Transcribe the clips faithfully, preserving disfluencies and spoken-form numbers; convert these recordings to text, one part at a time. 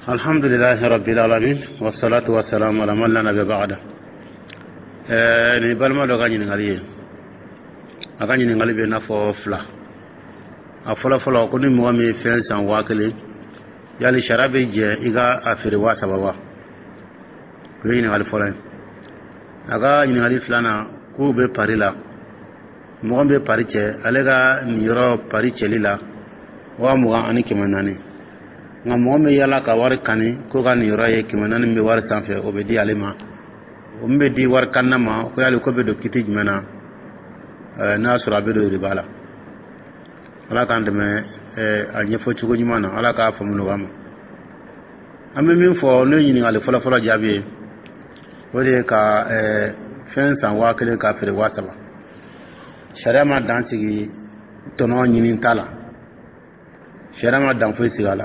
Alhamdulilahi rabbil alamin, wassalatu wassalamu ala man la nabiyya ba'da. Ɛɛ, nin balima dɔ ka ɲininkali ye, a ka ɲininkali bɛ i n'a fɔ fila. A fɔlɔ fɔlɔ, ko ni mɔgɔ min ye fɛn san waa kelen, yali sariya bɛ jɛ i ka a feere waa saba wa? O ye ɲininkali fɔlɔ ye. A ka ɲininkali filanan, k'u bɛ pari la, mɔgɔ min bɛ pari cɛ, ale ka niyɔrɔ pari cɛli la waa mugan ani kɛmɛ naani, nka mɔgɔ min bɛ yala ka wari kani, k'o ka niyɔrɔ ye kɛmɛ naani min bɛ wari sanfɛ, o bɛ di ale ma. O min bɛ di wari kanina ma, ko yali ko bɛ don kiti jumɛn na n'a y'a sɔrɔ a bɛ don riba la? Ala k'an dɛmɛ a ɲɛfɔ cogo ɲuman na, Ala k'a faamu nɔgɔya ma. An bɛ min fɔ, n'o ye ɲininkali fɔlɔ-fɔlɔ jaabi ye, o de ye ka fɛn san waa kelen k'a feere waa saba. Sariya ma dan sigi tɔnɔ ɲini ta la, sariya ma dan foyi sigi a la.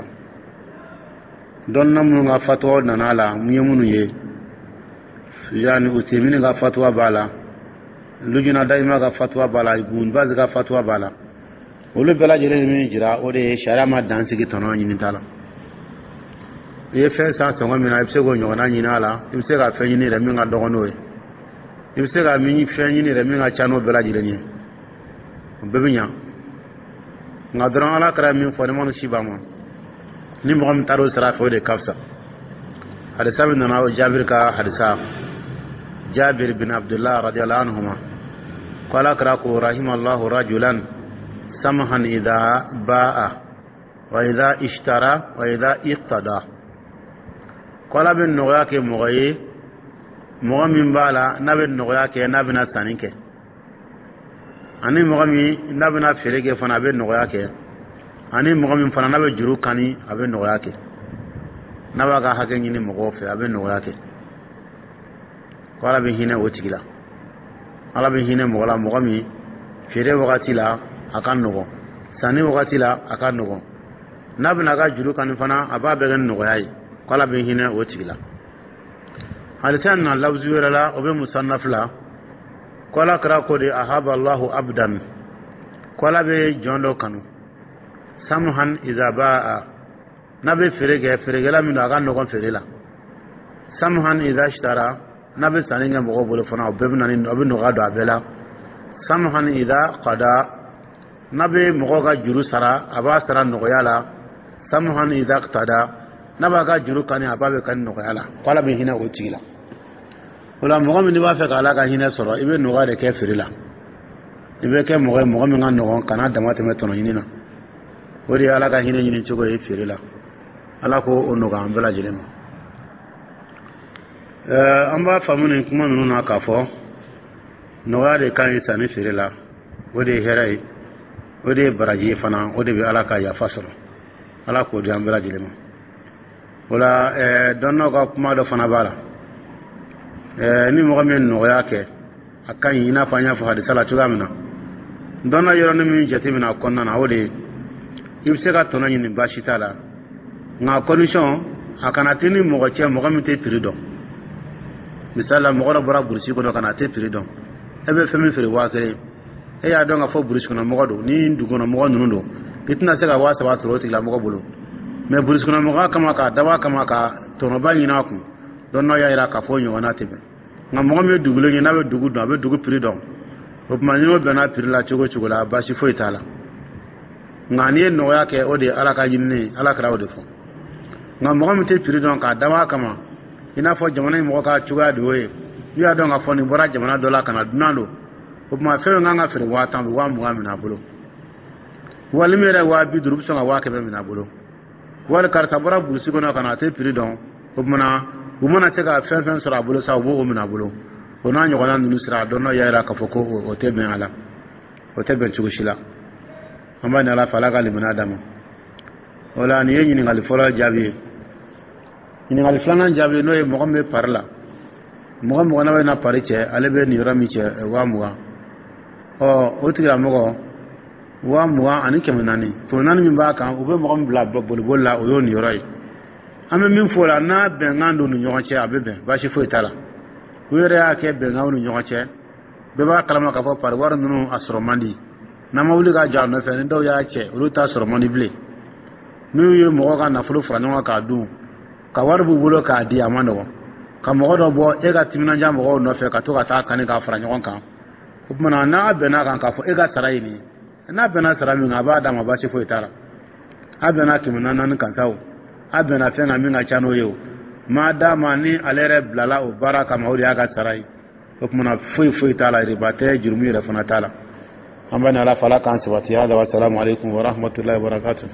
Dɔnna minnu ka fatuwa nana a la, mun ye minnu ye, yani Utemini ka fatuwa b'a la, Lujuna Dayima ka fatuwa b'a la, Ibn Baz ka fatuwa b'a la, olu bɛɛ lajɛlen ye min jira, o de ye sariya ma dan sigi tɔnɔ ɲini ta la. I ye fɛn san sɔngɔ min na, i bɛ se k'o ɲɔgɔnna ɲini a la, i bɛ se ka fɛn ɲini yɛrɛ min ka dɔgɔ n'o ye, i bɛ se ka min fɛn ɲini yɛrɛ min ka ca n'o bɛɛ lajɛlen ye, o bɛɛ bɛ ɲa. Nka dɔrɔn, Ala kɛra min fɔ, ni ma si b'a ma, ni mɔgɔ min taara o sira fɛ, o de ka fisa. Hadisa min nana, o Jabiri ka hadisa, Jabir bin Abdullah radiyallahu anhuma, ko Ala kɛra ko: rahimallahu rajulan samhan idha ba'a wa idha ishtara wa idha iqtada. Ko Ala bɛ nɔgɔya kɛ mɔgɔ ye, mɔgɔ min b'a la n'a bɛ nɔgɔya kɛ n'a bɛna sanni kɛ, ani mɔgɔ min n'a bɛna feere kɛ fana, a bɛ nɔgɔya kɛ, ani mɔgɔ min fana n'a bɛ juru kani, a bɛ nɔgɔya kɛ, n'a b'a ka hakɛ ɲini mɔgɔw fɛ, a bɛ nɔgɔya kɛ. Ko Ala bɛ hinɛ o tigi la. Ala bɛ hinɛ mɔgɔ la, mɔgɔ min feere wagati la a ka nɔgɔn, sanni wagati la a ka nɔgɔn, n'a bɛna a ka juru kani fana, a b'a bɛɛ kɛ ni nɔgɔya ye. Ko Ala bɛ hinɛ o tigi la. Hadisa na lafzu wɛrɛ la, o bɛ Musannaf la, ko Ala kɛra ko de: ahaba Allahu abdan, ko Ala bɛ jɔn dɔ kanu, samhan iza ba'a, n'a bɛ feere kɛ, feerekɛla min don, a ka nɔgɔn feere la, samhan iza ishtara, n'a bɛ sanni kɛ mɔgɔw bolo fana, o bɛɛ bɛ na ni, o bɛ nɔgɔya don a bɛɛ la, samhan iza qada, n'a bɛ mɔgɔw ka juru sara, a b'a sara nɔgɔya la, samhan iza qtada, n'a b'a ka juru kani, a b'a bɛ kani nɔgɔya la. Ko Ala bɛ hinɛ o tigi la. O la, mɔgɔ min b'a fɛ ka Ala ka hinɛ sɔrɔ, i bɛ nɔgɔya de kɛ feere la, i bɛ kɛ mɔgɔ ye, mɔgɔ min ka nɔgɔn, kana dama tɛmɛ tɔnɔ ɲini na. O de ye Ala ka hinɛ ɲini cogo ye feere la. Ala ko o nɔgɔya an bɛɛ lajɛlen ma. Ɛɛ, an b'a faamu nin kuma ninnu na k'a fɔ nɔgɔya de ka ɲi sanni feere la. O de ye hɛrɛ ye, o de ye baraji ye fana, o de bɛ Ala ka yafa sɔrɔ. Ala k'o di an bɛɛ lajɛlen ma. O la, ɛɛ, dɔnnaw ka kuma dɔ fana b'a la. Ɛɛ, ni mɔgɔ min ye nɔgɔya kɛ, a ka ɲi, i n'a fɔ an y'a fɔ hadisa la cogoya min na. Dɔnna yɔrɔnin min jateminɛ a kɔnɔna na, o de ye i bɛ se ka tɔnɔ ɲini, baasi t'a la, nka condition, a kana tɛ ni mɔgɔ cɛ, mɔgɔ min tɛ prix dɔn. Misali la, mɔgɔ dɔ bɔra burusi kɔnɔ ka na, a tɛ prix dɔn. E bɛ fɛn min feere waa kelen, e y'a dɔn k'a fɔ burusi kɔnɔ mɔgɔ don, ni dugu kɔnɔ mɔgɔ ninnu don, i tɛna se ka waa saba sɔrɔ o tigilamɔgɔ bolo. Mɛ burusi kɔnɔ mɔgɔ kama, k'a dabɔ a kama ka tɔnɔba ɲini a kun, dɔnnaw y'a jira k'a fɔ o ɲɔgɔnna tɛ bɛn. Nka mɔgɔ min ye dugulen ye, n'a bɛ dugu dɔn, a bɛ dugu prix dɔn, o tuma ni n'o bɛnna prix la cogo cogo la, baasi foyi t'a la. Nka n'i ye nɔgɔya kɛ, o de ye Ala ka ɲinini ye, Ala kɛra o de fɔ. Nka mɔgɔ min tɛ prix dɔn, k'a dabɔ a kama, i n'a fɔ jamana in mɔgɔ ka cogoya de y'o ye, n'u y'a dɔn k'a fɔ nin bɔra jamana dɔ la ka na, dunan don, o tuma fɛn min kan ka feere waa tan, bɛ waa mugan minɛ a bolo, wali min yɛrɛ waa bi duuru, bɛ sɔn ka waa kɛmɛ minɛ a bolo. Wali karisa bɔra burusi kɔnɔ ka na, a tɛ prix dɔn, o tuma u mana se ka fɛn fɛn sɔrɔ a bolo sa, u b'o minɛ a bolo. O n'a ɲɔgɔnna ninnu sira, dɔn y'a jira k'a fɔ ko o tɛ bɛn a la, o tɛ bɛn cogo si la. An b'a ɲini Ala fɛ, Ala ka limaniya d'a ma. O la, nin ye ɲininkali fɔlɔ jaabi ye. Ɲininkali filanan jaabi, n'o ye mɔgɔ min bɛ pari la, mɔgɔ mɔgɔ n'a bɛ na pari cɛ, ale bɛ nin yɔrɔ min cɛ waa mugan, ɔ, o tigilamɔgɔ waa mugan ani kɛmɛ naani, kɛmɛ naani min b'a kan, u bɛ mɔgɔ min bila boliboli la, o y'o niyɔrɔ ye. An bɛ min fɔ o la, n'a bɛnkan don ni ɲɔgɔn cɛ, a bɛ bɛn, baasi foyi t'a la. U yɛrɛ y'a kɛ bɛnkanw ni ɲɔgɔn cɛ, bɛɛ b'a kalama k'a fɔ pari wari ninnu a sɔrɔ man di. N'an ma wuli ka jɔ a nɔfɛ, ni dɔw y'a cɛ, olu t'a sɔrɔ man di bilen. N'u ye mɔgɔ ka nafolo fara ɲɔgɔn kan k'a dun, Ka wari b'u bolo k'a di, a ma nɔgɔn ka mɔgɔ dɔ bɔ e ka timinandiya mɔgɔw nɔfɛ ka to ka taa kani k'a fara ɲɔgɔn kan. O tuma na, n'a bɛnna kan k'a fɔ e ka sara ye nin ye, n'a bɛnna sara min kan, a b'a d'a ma, baasi foyi t'a la. A bɛnna kɛmɛ naani kan sa, o a bɛnna fɛn kan min ka ca n'o ye, o maa d'a ma. Ni ale yɛrɛ bilala o baara kama, o de y'a ka sara ye. O tuma na, foyi foyi t'a la, riba tɛ, jurumu yɛrɛ fana t'a la. An bɛ ni Ala fɛ, Ala k'an sabati. Hada wa salamu aleykum wa rahmatulahi wa barakatuh.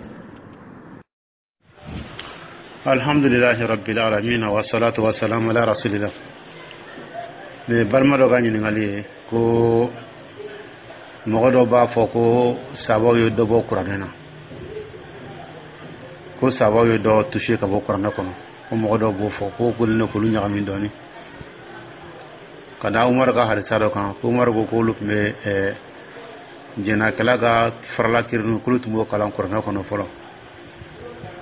Alhamdulilahi rabbil alamin, wa salatu wa salam ala rasulillah. Nin balima dɔ ka ɲininkali ye ko mɔgɔ dɔ b'a fɔ ko sabaw ye dɔ bɔ kuranɛ na, ko sabaw ye dɔ touché ka bɔ kuranɛ kɔnɔ, ko mɔgɔ dɔ b'o fɔ ko k'olu ne k'olu ɲagami dɔɔni ka da Umaru ka hadisa dɔ kan, ko Umaru ko k'olu tun bɛ ɛɛ jɛnakɛla ka farala kirini, k'olu tun b'o kalan kuranɛ kɔnɔ fɔlɔ.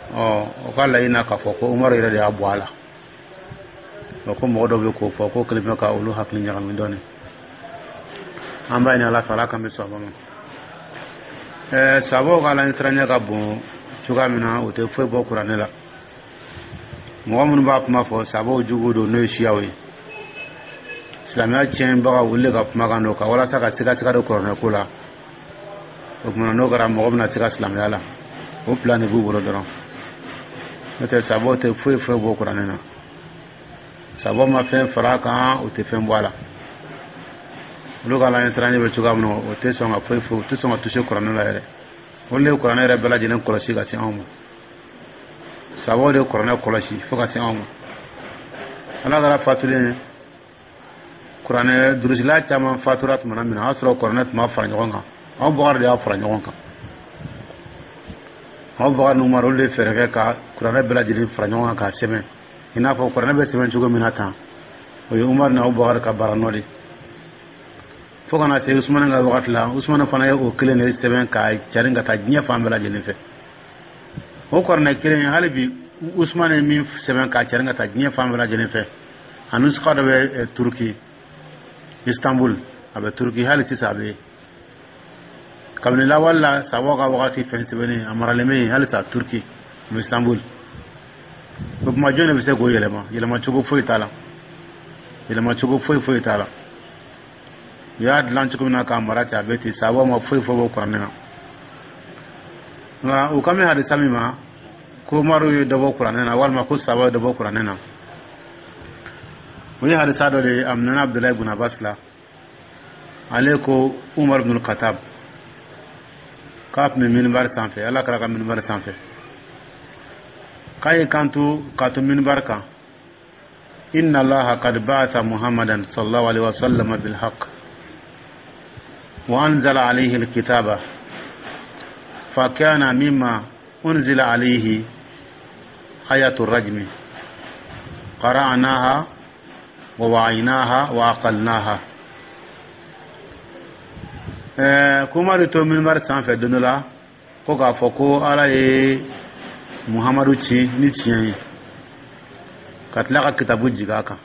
Ɔ, o ka laɲini na k'a fɔ ko Umaru yɛrɛ de y'a bɔ a la. Ko mɔgɔ dɔ bɛ k'o fɔ ko kelen bɛ ka olu hakili ɲagami dɔɔni. An b'a ɲini Ala fɛ, Ala k'an bɛ sɔn ma. Ɛɛ sabaw ka Ala ɲɛsiranɲɛ ka bon cogoya min na, o tɛ foyi bɔ kuranɛ la. Mɔgɔ minnu b'a kuma fɔ, sabaw jugu don, n'o ye siyaw ye, silamɛya tiɲɛbagaw, olu de ka kumakan don ka walasa ka siga siga don kuranɛ ko la. O tuma, n'o kɛra, mɔgɔ bɛna se ka silamɛya la, o plan de b'u bolo dɔrɔn. N'o tɛ, sabaw tɛ foyi foyi bɔ kuranɛ na. Sabaw ma fɛn fara a kan, o tɛ fɛn bɔ a la. Olu ka Ala ɲɛsiranɲɛ bɛ cogoya min na, o tɛ sɔn ka foyi foyi, o tɛ sɔn ka toucher kuranɛ la yɛrɛ. Olu de ye kuranɛ yɛrɛ bɛɛ lajɛlen kɔlɔsi ka se anw ma. Sabaw de ye kuranɛ kɔlɔsi fo ka se anw ma. Ala kɛra fatulen, kuranɛ durusila caman fatura tuma min na, o y'a sɔrɔ kuranɛ tun b'a fara ɲɔgɔn kan. Abubakar de y'a fara ɲɔgɔn kan. Abubakar ni Umar, olu de ye fɛɛrɛ kɛ ka kuranɛ bɛɛ lajɛlen fara ɲɔgɔn kan k'a sɛbɛn i n'a fɔ kuranɛ bɛ sɛbɛn cogo min na tan. O ye Umar ni Abubakar ka baara nɔ de, fo kana se Usumani ka wagati la. Usumani fana ye o kelen de sɛbɛn ka carin ka taa diɲɛ fan bɛɛ lajɛlen fɛ. O kuranɛ kelen, hali bi, Usumani ye min sɛbɛn ka carin ka taa diɲɛ fan bɛɛ lajɛlen fɛ, a nusuka dɔ bɛ Turuki, Istanbul. A bɛ Turuki hali sisan, a bɛ yen kabini lawale la. Sabaw ka wagati fɛn sɛbɛnnen, a maralen bɛ yen halisa Turuki, Istanbul. O tuma, jɔn de bɛ se k'o yɛlɛma? Yɛlɛma cogo foyi t'a la, yɛlɛma cogo foyi foyi t'a la. U y'a dilan cogo min na k'a mara ten, a bɛ ten. Sabaw ma foyi foyi bɔ kuranɛ na. Nka u kan bɛ hadisa min ma ko Umaru ye dɔ bɔ kuranɛ na, walima ko sabaw ye dɔ bɔ kuranɛ na, o ye hadisa dɔ de ye. A minɛna Abudulayi ibn Abbas la. Ale ko Umar ibn Khattab k'a tun bɛ minibari sanfɛ, Ala kɛra ka minibari sanfɛ, k'a ye kanto k'a to minibari kan: "Inna Allaha qad ba'atha Muhammadan sallallahu alaihi wasallam bil haqq wa anzala alayhi alkitaba, fa kana mimma unzila alayhi ayatu rajmi, qara'naha wa wa'aynaha wa aqalnaha." Ɛɛ kuma de to minibari sanfɛ don dɔ la, ko k'a fɔ ko Ala ye Muhamadu ci ni tiɲɛ ye, ka tila ka kitabu jigin a kan.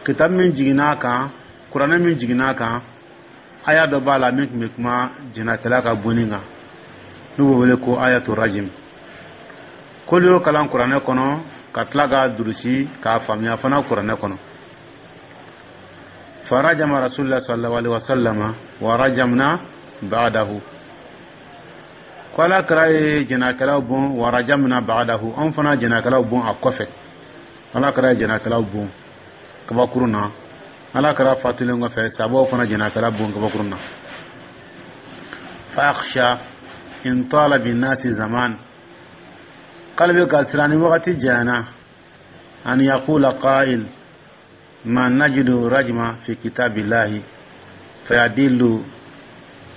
Kitabu min jiginna a kan, kuranɛ min jiginna a kan, aya dɔ b'a la min tun bɛ kuma jɛnakɛla ka bonni kan, n'u b'o wele ko ayatu rajim. K'olu y'o kalan kuranɛ kɔnɔ, ka tila k'a durusi k'a faamuya fana kuranɛ kɔnɔ. Farajama rasulillah sallallahu alaihi wasallam wa rajamna ba'dahu. Ko Ala kɛra ye jɛnakɛlaw bon, wa rajamna ba'dahu, anw fana jɛnakɛlaw bon a kɔfɛ. Ala kɛra ye jɛnakɛlaw bon kabakurun na. Ala kɛra fatulen kɔfɛ, sabaw fana jɛnakɛla bon kabakurun na. Fa akhsha in tala bin nasi zaman, k'ale bɛ ka siran ni wagati janyana, an yaqula qa'il ma najidu rajma fi kitabillahi fayadillu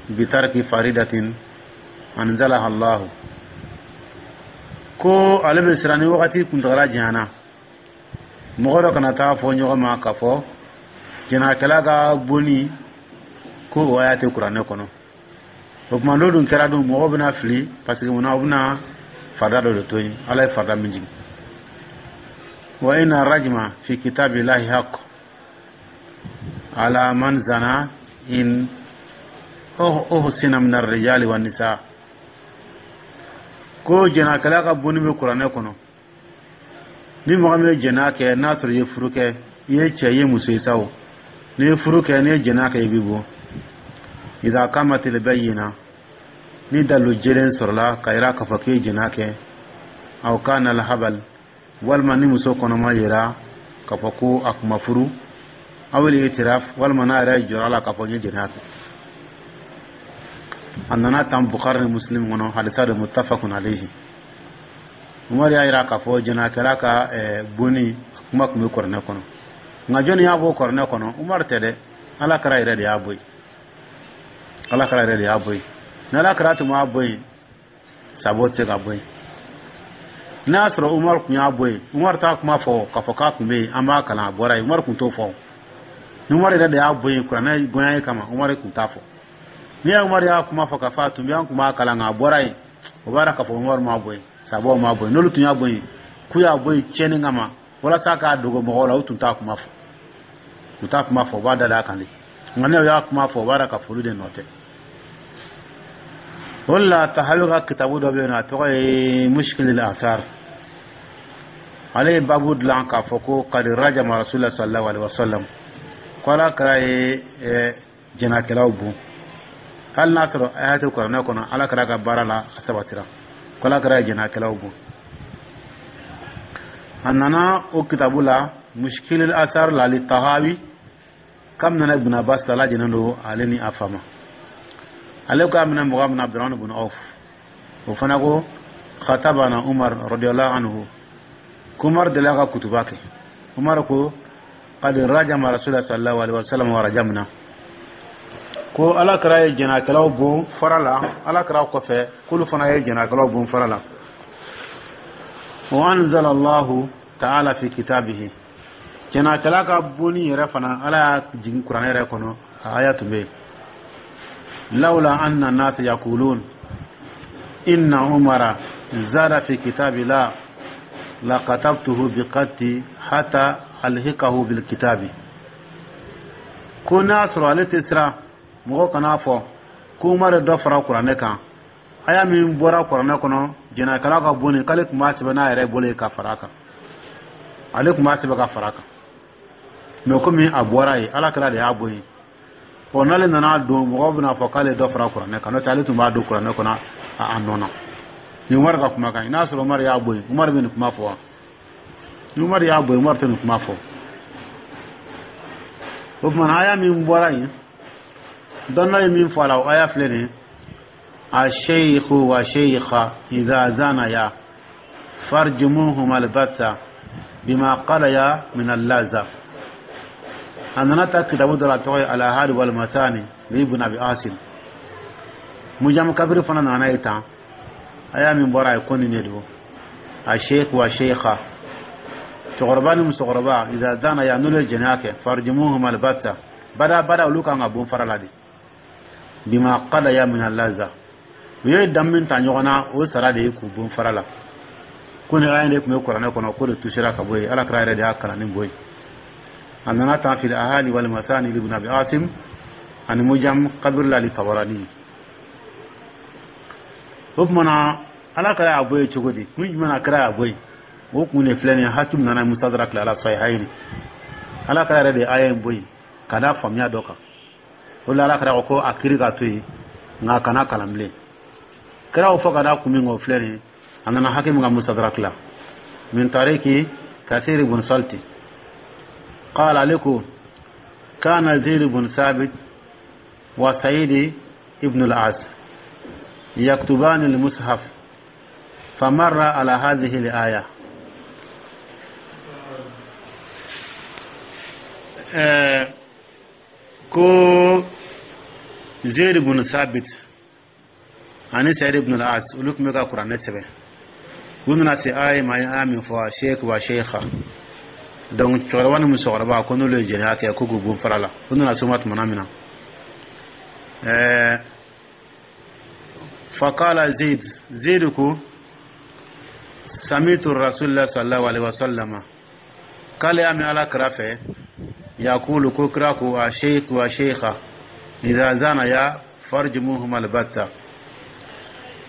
bitarki faridatin anzalaha Allah. Ko ale bɛ siran ni wagati kuntagala janyana, mɔgɔ dɔ kana taa fɔ ɲɔgɔn ma k'a fɔ jɛnakɛla ka bonni, ko o aya tɛ kuranɛ kɔnɔ. O tuma, n'o dun kɛra dun, mɔgɔw bɛna fili, parce que munna? U bɛna farida dɔ de to yen, Ala ye farida min jigin. Wa inna rajma fi kitabillahi haqq ala man zana in uhsina min arrijali wa nisa. Ko jɛnakɛla ka bonni bɛ kuranɛ kɔnɔ. Ni mɔgɔ min ye jɛnɛya kɛ, n'a sɔrɔ i ye furu kɛ, i ye cɛ, i ye muso ye sa o, n'i ye furu kɛ, n'i ye jɛnɛya kɛ, i bɛ bon. إذا قامت البينة, ni dalu jelen sɔrɔla ka yira k'a fɔ k'i ye jɛnɛya kɛ, أو كان الحبل, walima ni muso kɔnɔma yira k'a fɔ ko a kun ma furu, أو الاعتراف, walima n'a yɛrɛ jɔra la k'a fɔ n ye jɛnɛya kɛ. A nana tan Bukhari ni Muslim kɔnɔ, hadisa de متفق عليه. Umar y'a yira k'a fɔ jɛnɛkɛla ka bonni kuma tun bɛ kuranɛ kɔnɔ. Nka jɔnni y'a bɔ kuranɛ kɔnɔ? Umar tɛ dɛ, Ala kira yɛrɛ de y'a bɔ yen. Ala kira yɛrɛ de y'a bɔ yen. Ni Ala kira tun m'a bɔ yen, sabo tɛ se ka bɔ yen. N'a y'a sɔrɔ Umar tun y'a bɔ yen, Umar t'a kuma fɔ k'a fɔ k'a tun bɛ yen, an b'a kalan, a bɔra yen. Umar tun t'o fɔ. Ni Umar yɛrɛ de y'a bɔ yen kuranɛ gonya kama, Umar tun t'a fɔ. N'i ye Umar y'a kuma fɔ k'a fɔ a tun bɛ, an tun b'a kalan, nka a bɔra yen, o b'a yira k'a fɔ Umar m'a bɔ yen, sabaw m'a bɔ yen. N'olu tun y'a bɔ yen k'u y'a bɔ yen tiɲɛni kama walasa k'a dogo mɔgɔw la, u tun t'a kuma fɔ. U t'a kuma fɔ, u b'a da a kan de. Nka n'u y'a kuma fɔ, o b'a yira k'a fɔ olu de nɔ tɛ. O de la, Tahawi ka kitabu dɔ bɛ yen nɔ, a tɔgɔ ye Mushkil al-Athar. Ale ye babu dilan k'a fɔ ko قد رجم رسول الله صلى الله عليه وسلم, ko Ala kira ye jɛnɛkɛlaw bon. Hali n'a sɔrɔ aya tɛ kuranɛ kɔnɔ, Ala kira ka baara la, a sabatira ko Ala kira ye jɛnɛkɛlaw bon. A nana o kitabu la, Mushkil al-Athar la li Tahawi, kam nana Ibn Abbas la, lajɛlen don ale ni a fama. Ale ko a minɛ mɔgɔ min na, Abdurrahman ibn Auf, o fana ko خطبنا عمر رضي الله عنه, ko Umar delila ka kutuba kɛ. Umar ko قد رجم رسول الله صلى الله عليه وسلم ورجمنا, ko Ala kira ye jɛnɛkɛlaw bon fara la. Ala kira kɔfɛ, k'olu fana ye jɛnɛkɛlaw bon fara la. وأنزل الله تعالى في كتابه, jɛnɛkɛla ka bonni yɛrɛ fana, Ala y'a jigin kuranɛ yɛrɛ kɔnɔ, a aya tun bɛ yen. لولا أن الناس يقولون إن عمر زاد في كتاب الله لكتبته بخطي حتى ألحقه بالكتاب. Ko n'a sɔrɔ ale tɛ siran mɔgɔ kan'a fɔ ko Umar ye dɔ fara kuranɛ kan, aya min bɔra kuranɛ kɔnɔ, jɛnɛkɛla ka bonni, k'ale tun b'a sɛbɛn n'a yɛrɛ bolo ye ka fara a kan. Ale tun b'a sɛbɛn ka fara a kan. Mɛ komi a bɔra yen, Ala kira de y'a bɔ yen, ɔ, n'ale nana don, mɔgɔw bɛna fɔ k'ale dɔ fara kuranɛ kan. N'o tɛ, ale tun b'a don kuranɛ kɔnɔ a nɔ na. Ni Umar ka kumakan ye, n'a sɔrɔ Umar y'a bɔ yen, Umar bɛ nin kuma fɔ wa? Ni Umar y'a bɔ yen, Umar tɛ nin kuma fɔ. O tuma na, aya min bɔra yen, dɔnna ye min fɔ a la, o aya filɛ nin ye: الشيخ والشيخة إذا زانيا فارجموهما البتة بما قضيا من اللذة. A nana ta kitabu dɔ la, a tɔgɔ ye الآحاد والمثاني لابن أبي عاصم. Mujam Kabiri fana nana ye tan. Aya min bɔra ye, ko nin de don: الشيخ والشيخة, cɛkɔrɔba ni musokɔrɔba, إذا زانيا, n'olu ye jɛnɛya kɛ, فارجموهما البتة, bada bada, olu kan ka bon fara la de, بما قضيا من اللذة, u ye dan min ta ɲɔgɔn na, o sara de ye k'u bon fara la. Ko ni aya de tun bɛ kuranɛ kɔnɔ, ko de tusera ka bɔ yen. Ala kira yɛrɛ de y'a kalan ni bɔ yen. A nana tan في الآحاد والمثاني لابن أبي عاصم ani Mujam Kabir la للطبراني. O tuma na, Ala kira y'a bɔ yen cogo di? Kun jumɛn na kira y'a bɔ yen? O kun de filɛ nin ye. Hakim nana Mustadrak la Sahihayni. Ala kira yɛrɛ de ye aya in bɔ yen ka da faamuya dɔ kan. O la, Ala kira ko ko a kiri ka to yen, nka a kana kalan bilen. Kira y'o fɔ ka da kun min kan, o filɛ nin ye. A nana Hakim ka Mustadrak la من طريق كثير بن صلت قال, ale ko كان زيد بن ثابت وسعيد ابن العاص يكتبان المصحف فمر على هذه الآية. آه ko Zaid ibn Sabit ani Sa'id ibn al-As, olu tun bɛ ka kuranɛ sɛbɛn. U nana se aya ma, aya min fɔ الشيخ والشيخة, donc cɛkɔrɔba ni musokɔrɔba, ko n'olu ye jɛnɛya kɛ, ko k'u bon fara la. U nana s'o ma tumana min na, ɛɛ فقال زيد, زيد ko سمعت رسول الله صلى الله عليه وسلم, k'ale y'a mɛn Ala kira fɛ, يقول, ko kira ko الشيخ والشيخة إذا زانيا فارجموهما البتة,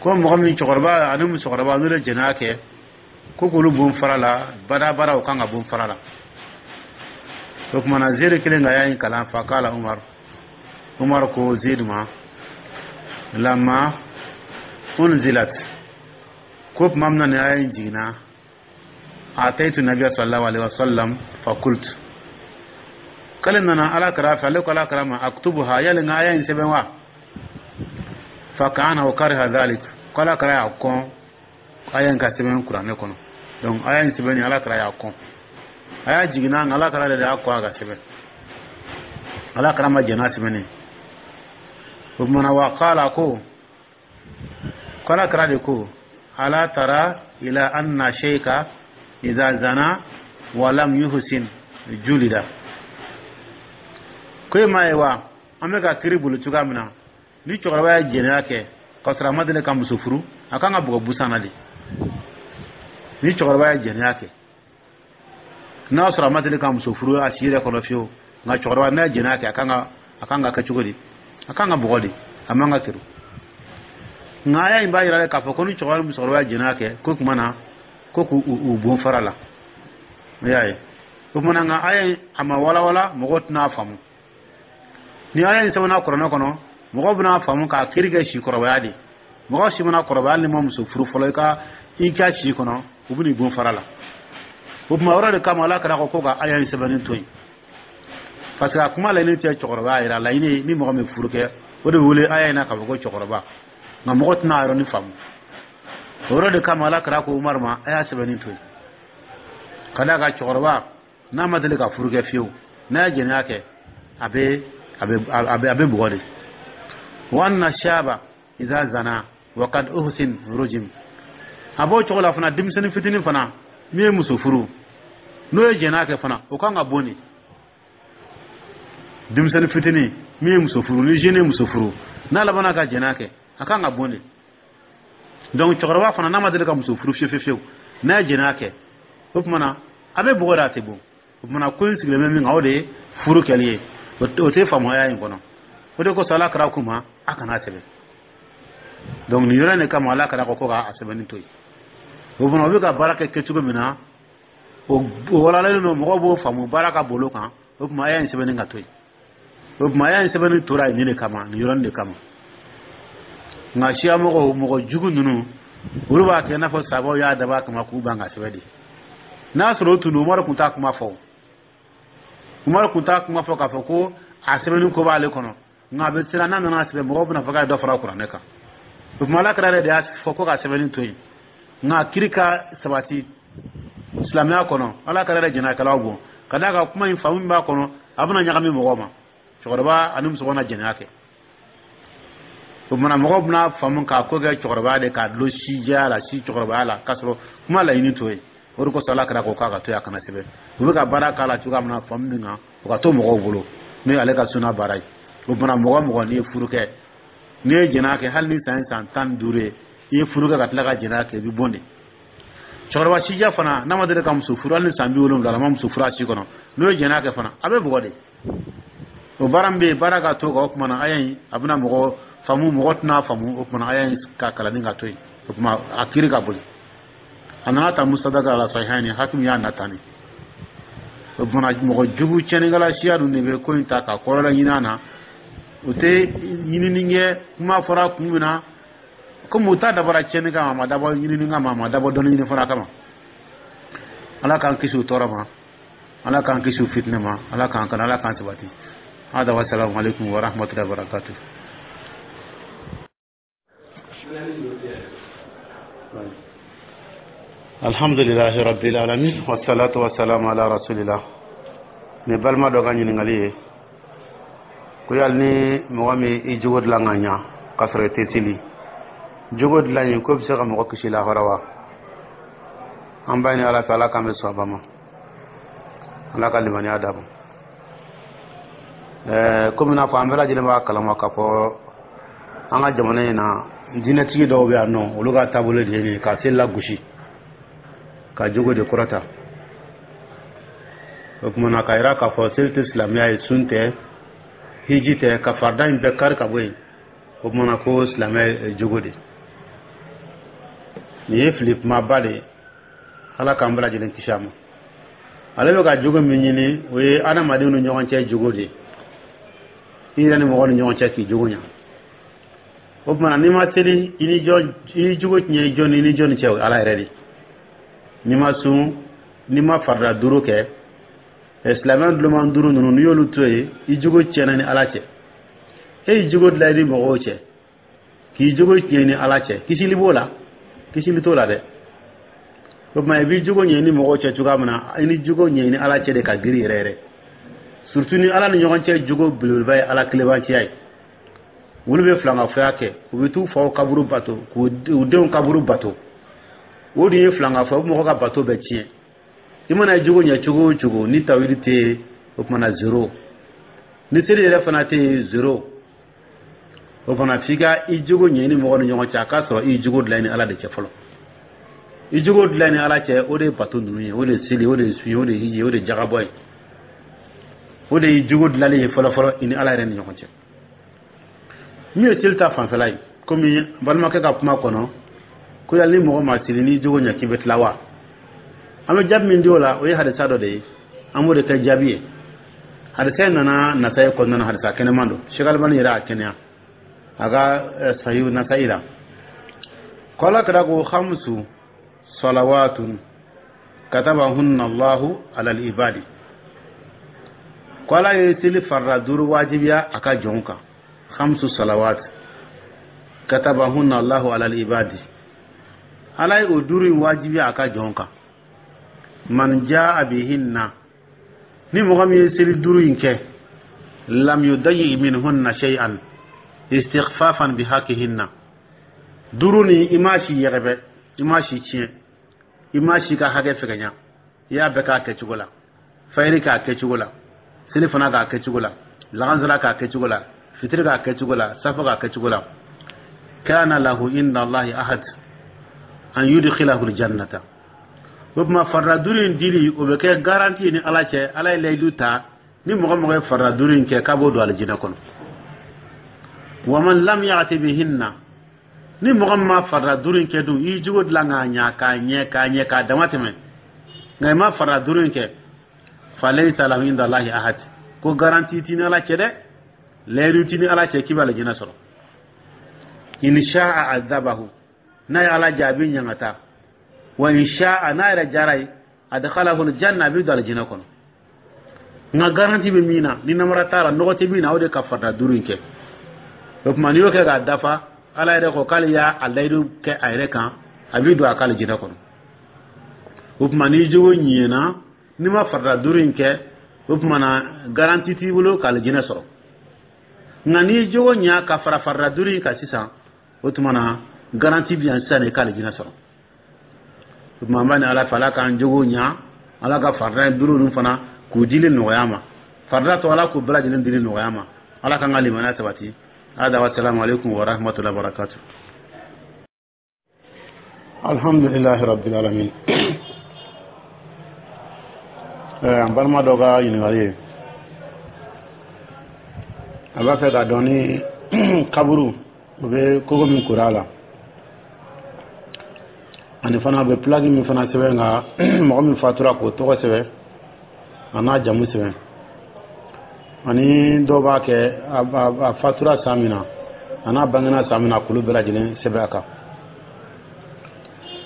ko mɔgɔ min, cɛkɔrɔba ani musokɔrɔba, n'olu ye jɛnɛya kɛ. Ko k'olu bon fara la badabada, o kan ka bon fara la. O tuma na, Zeyidu kelen ka aya in kalan. Fakala Umar, Umar ko Zeyidu ma: lamma unzilat, ko tuma min na nin aya in jiginna, ataitu nabiya sallallahu alaihi wasallam fa qult, k'ale nana Ala kira fɛ, ale ko Ala kira ma: aktubuha, yali n ka aya in sɛbɛn wa? Fa kana wa kariha dhalik, ko Ala kira y'a kɔn aya in ka sɛbɛn Kuranɛ kɔnɔ. Donc aya in sɛbɛnni, Ala kira y'a kɔn. A y'a jiginna, nka Ala kira de y'a kɔn a ka sɛbɛn. Ala kira ma jɛn n'a sɛbɛnni. O tumana, wa qala, ko ko Ala kira de ko: ala tara ila anna shayka idha zana wa lam yuhsin julida. Ko e m'a ye wa, an bɛ ka kiri boli cogoya min na, ni cɛkɔrɔba ye jɛnɛya kɛ k'a sɔrɔ a ma deli ka muso furu, a kan ka bugɔ busan na de. Ni cɛkɔrɔba ye jɛnɛya kɛ, n'a sɔrɔ a ma deli ka muso furu a si yɛrɛ kɔnɔ fiyewu, nka cɛkɔrɔba n'a ye jɛnɛya kɛ, a kan ka a kan ka kɛ cogo di? A kan ka bugɔ de, a man ka kiri. Nka aya in b'a yira k'a fɔ ko ni cɛkɔrɔba ni musokɔrɔba ye jɛnɛya kɛ, ko tuma na ko k'u u bon fara la. I y'a ye, o tuma na, nka aya in a ma walawala, mɔgɔw tɛna faamu. Ni aya in sɛbɛnna Kuranɛ kɔnɔ, mɔgɔw bɛna faamu k'a kiri kɛ si kɔrɔbaya de. Mɔgɔ si mana kɔrɔbaya, hali ni ma muso furu fɔlɔ, i ka i ka si kɔnɔ, u bɛn'i bon fara la. O tuma yɔrɔ de kama, Ala kira ko ko ka aya in sɛbɛnni to yen, parce que a kuma laɲini tɛ cɛkɔrɔbaya yɛrɛ. A laɲini, ni mɔgɔ min furu kɛ, o de bɛ wele aya in na k'a fɔ ko cɛkɔrɔba. Nka mɔgɔ tɛna a yɔrɔnin faamu. O yɔrɔ de kama, Ala kira ko Umaru ma: a y'a sɛbɛnni to yen, ka d'a kan cɛkɔrɔba n'a ma deli ka furu kɛ fiyewu, n'a ye jɛnɛya kɛ, a bɛ a bɛ a bɛ a bɛ bugɔ de. Wa anna shaba idha zana wa qad uhsin rujim. A b'o cogo la fana, denmisɛnnin fitinin fana min ye muso furu, n'o ye jɛnɛya kɛ fana, o kan ka bon de. Denmisɛnnin fitinin min ye muso furu, ni jeune ye muso furu, n'a labanna ka jɛnɛya kɛ, a kan ka bon de. Donc cɛkɔrɔba fana, n'a ma deli ka muso furu fiyewu fiyewu, n'a ye jɛnɛya kɛ, o tuma na a bɛ bugɔ de, a tɛ bon. O tuma na, ko in sigilen bɛ min kan, o de ye furu kɛli ye. O tɛ faamuya in kɔnɔ. O de kosɔn, Ala kira k'u ma a kana sɛbɛn. Donc nin yɔrɔ in de kama, Ala kira ko ko k'a sɛbɛnni to yen. O fana, o bɛ ka baara kɛ kɛcogo min na, o walalen don, mɔgɔw b'o faamu, baara ka bolo kan. O tuma a y'a in sɛbɛnni ka to yen. O tuma a y'a in sɛbɛnni tora yen nin de kama, nin yɔrɔnin de kama. Nka siya mɔgɔw, mɔgɔ jugu ninnu, olu b'a kɛ i n'a fɔ sabaw y'a dabɔ a kama k'u ban ka sɛbɛn de. N'a sɔrɔ o tun don, Umaru tun t'a kuma fɔ. Umaru tun t'a kuma fɔ k'a fɔ ko a sɛbɛnni ko b'ale kɔnɔ. Nka a bɛ siran, n'a nana sɛbɛn, mɔgɔw bɛna fɔ k'a ye dɔ fara Kuranɛ kan. O tuma, Ala kira yɛrɛ de y'a fɔ ko ka sɛbɛnni to yen. Nka kiri ka sabati silamɛya kɔnɔ, Ala kira yɛrɛ jɛnɛkɛlaw bon, ka d'a kan kuma in faamu min b'a kɔnɔ, a bɛna ɲagami mɔgɔw ma. Cɛkɔrɔba ani musokɔrɔba na jɛnɛya kɛ, o tuma mɔgɔw bɛna faamu k'a ko kɛ cɛkɔrɔbaya de, k'a dulon sijɛya la, si cɛkɔrɔbaya la, k'a sɔrɔ kuma laɲini t'o ye. O de kosɔn, Ala kira ko k'a ka to yen, a kana sɛbɛn. U bɛ ka baara k'a la cogoya min na, faamu min kan, o ka to mɔgɔw bolo, n'o ye ale ka suna baara ye. O tuma, mɔgɔ mɔgɔ n'i ye furu kɛ, n'i ye jɛnɛya kɛ, hali ni san ye san tan ni duuru ye, i ye furu kɛ ka tila ka jɛnɛya kɛ, i bɛ bon de. Cɛkɔrɔba sijɛ fana, n'a ma deli ka muso furu, hali ni san bi wolonwula, a ma muso furu a si kɔnɔ, n'o ye jɛnɛya kɛ fana, a bɛ bugɔ de. O baara min bɛ yen, baara ka to kan. O tuma na, aya in a bɛna mɔgɔ faamu, mɔgɔ tɛna faamu. O tuma, aya in ka kalanni ka to yen. O tuma, a kiiri ka boli. A nana ta Mustadrak ala Sahihayni, Hakim y'a nata ni. O tuma, mɔgɔ jugu tiɲɛnikɛla siya dun de bɛ ko in ta ka kɔrɔla ɲini a na. O tɛ ɲinini kɛ. Kuma fɔra kun min na, komi u ta dabɔra tiɲɛni kama, a ma dabɔ ɲinini kama, a ma dabɔ dɔnni ɲini fana kama. Ala k'an kisi u tɔɔrɔ ma, Ala k'an kisi u fitinɛ ma, Ala k'an kana, Ala k'an sabati. Hada wa salamu alaikum wa rahmatullahi wa barakatuh. Alhamdulilahi rabbil alamin, wassalatu wassalamu ala rasulillah. Ni balima dɔ ka ɲininkali ye ko yali ni mɔgɔ min i jogo dilan ka ɲa k'a sɔrɔ i tɛ seli, jogo dilan in ko bɛ se ka mɔgɔ kisi lahara wa? An b'a ɲini Ala fɛ, Ala k'an bɛ sɔn a ma, Ala ka limaniya d'a ma. Ɛɛ komi n'a fɔ an bɛɛ lajɛlen b'a kalama k'a fɔ an ka jamana in na, diinɛtigi dɔw bɛ yan nɔ, olu ka taabolo de ye nin ye, ka seli lagosi, ka jogo de kɔrɔta. O tuma na, k'a yira k'a fɔ seli tɛ silamɛya ye, sun tɛ, hiji tɛ, ka farida in bɛɛ kari ka bɔ yen. O tuma na, ko silamɛya ye jogo de. Nin ye fili kumaba de ye. Ala k'an bɛɛ lajɛlen kisi a ma. Ale bɛ ka jogo min ɲini, o ye adamadenw ni ɲɔgɔn cɛ jogo de ye, i yɛrɛ ni mɔgɔw ni ɲɔgɔn cɛ, k'i jogo ɲa. O tuma na, n'i ma seli, i ni jɔn i jogo tiɲɛ? I jɔn, i ni jɔn cɛ? O ye Ala yɛrɛ de. N'i ma sun, n'i ma farida duuru kɛ, silamɛ duloman duuru ninnu, n'i y'olu to yen, i jogo tiɲɛna ni Ala cɛ. E y'i jogo dilan i ni mɔgɔw cɛ, k'i jogo tiɲɛ ni Ala cɛ, kisili b'o la? Kisili t'o la dɛ. O tuma, i b'i jogo ɲɛ ni mɔgɔw cɛ cogoya min na, i ni jogo ɲɛ ni Ala cɛ de ka girin yɛrɛ yɛrɛ, surtout ni Ala ni ɲɔgɔn cɛ jogo belebeleba ye Ala kilebanciya ye. Olu bɛ filankafoya kɛ, u bɛ t'u faw kaburu bato, k'u denw kaburu bato. O dun ye filankafoya, u bɛ mɔgɔ ka bato bɛɛ tiɲɛ. I mana jogo ɲɛ cogo o cogo, ni tawhidi tɛ yen, o tuma na zéro. Ni seli yɛrɛ fana tɛ yen, zéro. O fana, f'i ka i jogo ɲɛ ni mɔgɔ ni ɲɔgɔn cɛ, a k'a sɔrɔ i jogo dilan ni Ala de cɛ fɔlɔ. I jogo dilan ni Ala cɛ, o de ye bato ninnu ye, o de ye seli, o de ye sun ye, o de ye hiji, o de ye jagabɔ ye. O de ye jogo dilanlen ye fɔlɔ fɔlɔ i ni Ala yɛrɛ ni ɲɔgɔn cɛ. Min ye seli ta fanfɛla ye, komi balimakɛ ka kuma kɔnɔ ko yali ni mɔgɔ ma seli, n'i jogo ɲɛ, k'i bɛ tila wa? An bɛ jaabi min di o la, o ye hadisa dɔ de ye, an b'o de kɛ jaabi ye. Hadisa in nana Nasayi kɔnɔna na, hadisa kɛnɛman don. Sheikh Albani yɛrɛ y'a kɛnɛya a ka Sahihu Nasayi la, ko Ala kira ko: خمس صلوات كتبهن الله على العباد. Ko Ala ye seli farida duuru wajibiya a ka jɔnw kan. خمس صلوات كتبهن الله على العباد. Ala ye o duuru in wajibiya a ka jɔnw kan. من جاء بهن, ni mɔgɔ min ye seli duuru in kɛ, لم يضيع منهن شيئا استخفافا بحقهن. Duuru ni, i ma si yɛgɛbɛ, i ma si tiɲɛ, i ma si ka hakɛ fɛgɛnya, i y'a bɛɛ k'a kɛcogo la: fayiri k'a kɛcogo la, seli fana k'a kɛcogo la, lagansara k'a kɛcogo la, fitiri k'a kɛcogo la, safo k'a kɛcogo la. كان له عند الله عهد أن يدخله الجنة. O tuma, farida duuru in dili, o bɛ kɛ garantie ni Ala cɛ. Ala ye layidu ta, ni mɔgɔ mɔgɔ ye farida duuru in kɛ, k'a b'o don alijinɛ kɔnɔ. ومن لم يأت بهن, ni mɔgɔ min ma farida duuru in kɛ dun, i jogo dilan k'a ɲa, k'a ɲɛ, k'a ɲɛ, k'a dama tɛmɛ, nka i ma farida duuru in kɛ, فليس له عند الله عهد. Ko garantie t'i ni Ala cɛ dɛ, layidu t'i ni Ala cɛ k'i bɛ alijinɛ sɔrɔ. إن شاء عذبه, n'a ye Ala jaabi ɲangata. وإن شاء, n'a yɛrɛ jara ye, أدخله الجنة, a bɛ don alijinɛ kɔnɔ. Nka garantie bɛ min na, ni namara t'a la, nɔgɔ tɛ min na, o de ka farida duuru in kɛ. O tuma, n'i y'o kɛ k'a dafa, Ala yɛrɛ ko k'ale y'a a layidu kɛ a yɛrɛ kan, a b'i don a ka alijinɛ kɔnɔ. O tuma, n'i jogo ɲɛna, n'i ma farida duuru in kɛ, o tuma na garantie t'i bolo ka alijinɛ sɔrɔ. Nka n'i jogo ɲa ka fara farida duuru in kan sisan, o tuma na garantie bɛ yan sisan de ka alijinɛ sɔrɔ. O tuma, an b'a ni Ala fɛ, Ala k'an jogo ɲa, Ala ka farida duuru ninnu fana k'u dili nɔgɔya ma, farida tɔ, Ala k'u bɛɛ lajɛlen dili nɔgɔya ma. Ala k'an ka limaniya sabati. هذا والسلام عليكم ورحمة الله وبركاته. الحمد لله رب العالمين. An balima dɔ ka ɲininkali ye, a b'a fɛ k'a dɔn ni kaburu, o bɛ kogo min kora a la, ani fana a bɛ plaque min fana sɛbɛn ka mɔgɔ min fatura k'o tɔgɔ sɛbɛn, a n'a jamu sɛbɛn, ani dɔw b'a kɛ a fatura san min na, a n'a bangena san min na, k'olu bɛɛ lajɛlen sɛbɛn a kan.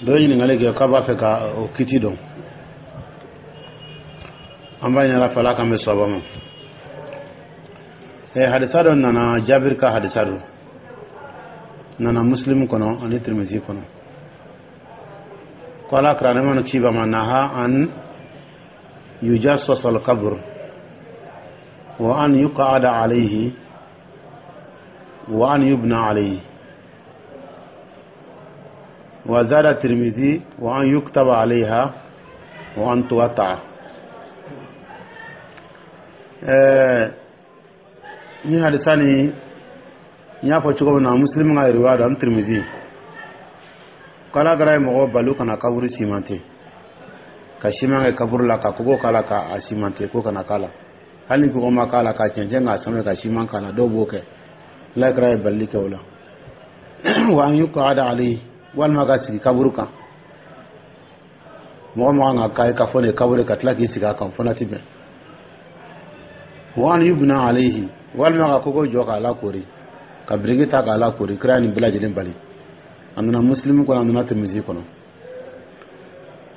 Dɔ ye ɲininkali kɛ k'a b'a fɛ ka o kiti dɔn. An b'a ɲini Ala fɛ, Ala k'an bɛ sɔba ma. Ɛ hadisa dɔ nana, Jabiri ka hadisa don, nana Muslim kɔnɔ ani Tirmisi kɔnɔ, ko Ala kira nɛɛma ni kisi b'a ma نهى أن يجصص القبر وأن يقعد عليه وأن يبنى عليه. وزاد الترمذي: وأن يكتب عليها وأن توطأ. Ɛɛ ni hadisa ni, n y'a fɔ cogo min na, Muslim ka riwaya don ani Tirmidhi, k'Ala kɛra ye mɔgɔ balu kana kaburu simante, ka siman kɛ kaburu la, ka kogo k'a la, k'a simante, ko kana k'a la. Hali ni kogo ma k'a la, ka cɛncɛn k'a sanfɛ ka siman k'a la, dɔw b'o kɛ. Ala kɛra ye balili kɛ o la. وأن يقعد عليه, walima ka sigi kaburu kan. Mɔgɔ man kan ka ka fɔ nin kaburu ka tila k'i sigi a kan, fana ti bɛn. Wa an yubna alayhi, walima ka kogo jɔ k'a lakori, ka biriki ta k'a lakori, kira nin bɛɛ lajɛlen bali. A nana Muslimu kɔnɔ, a nana Tirmidhi kɔnɔ.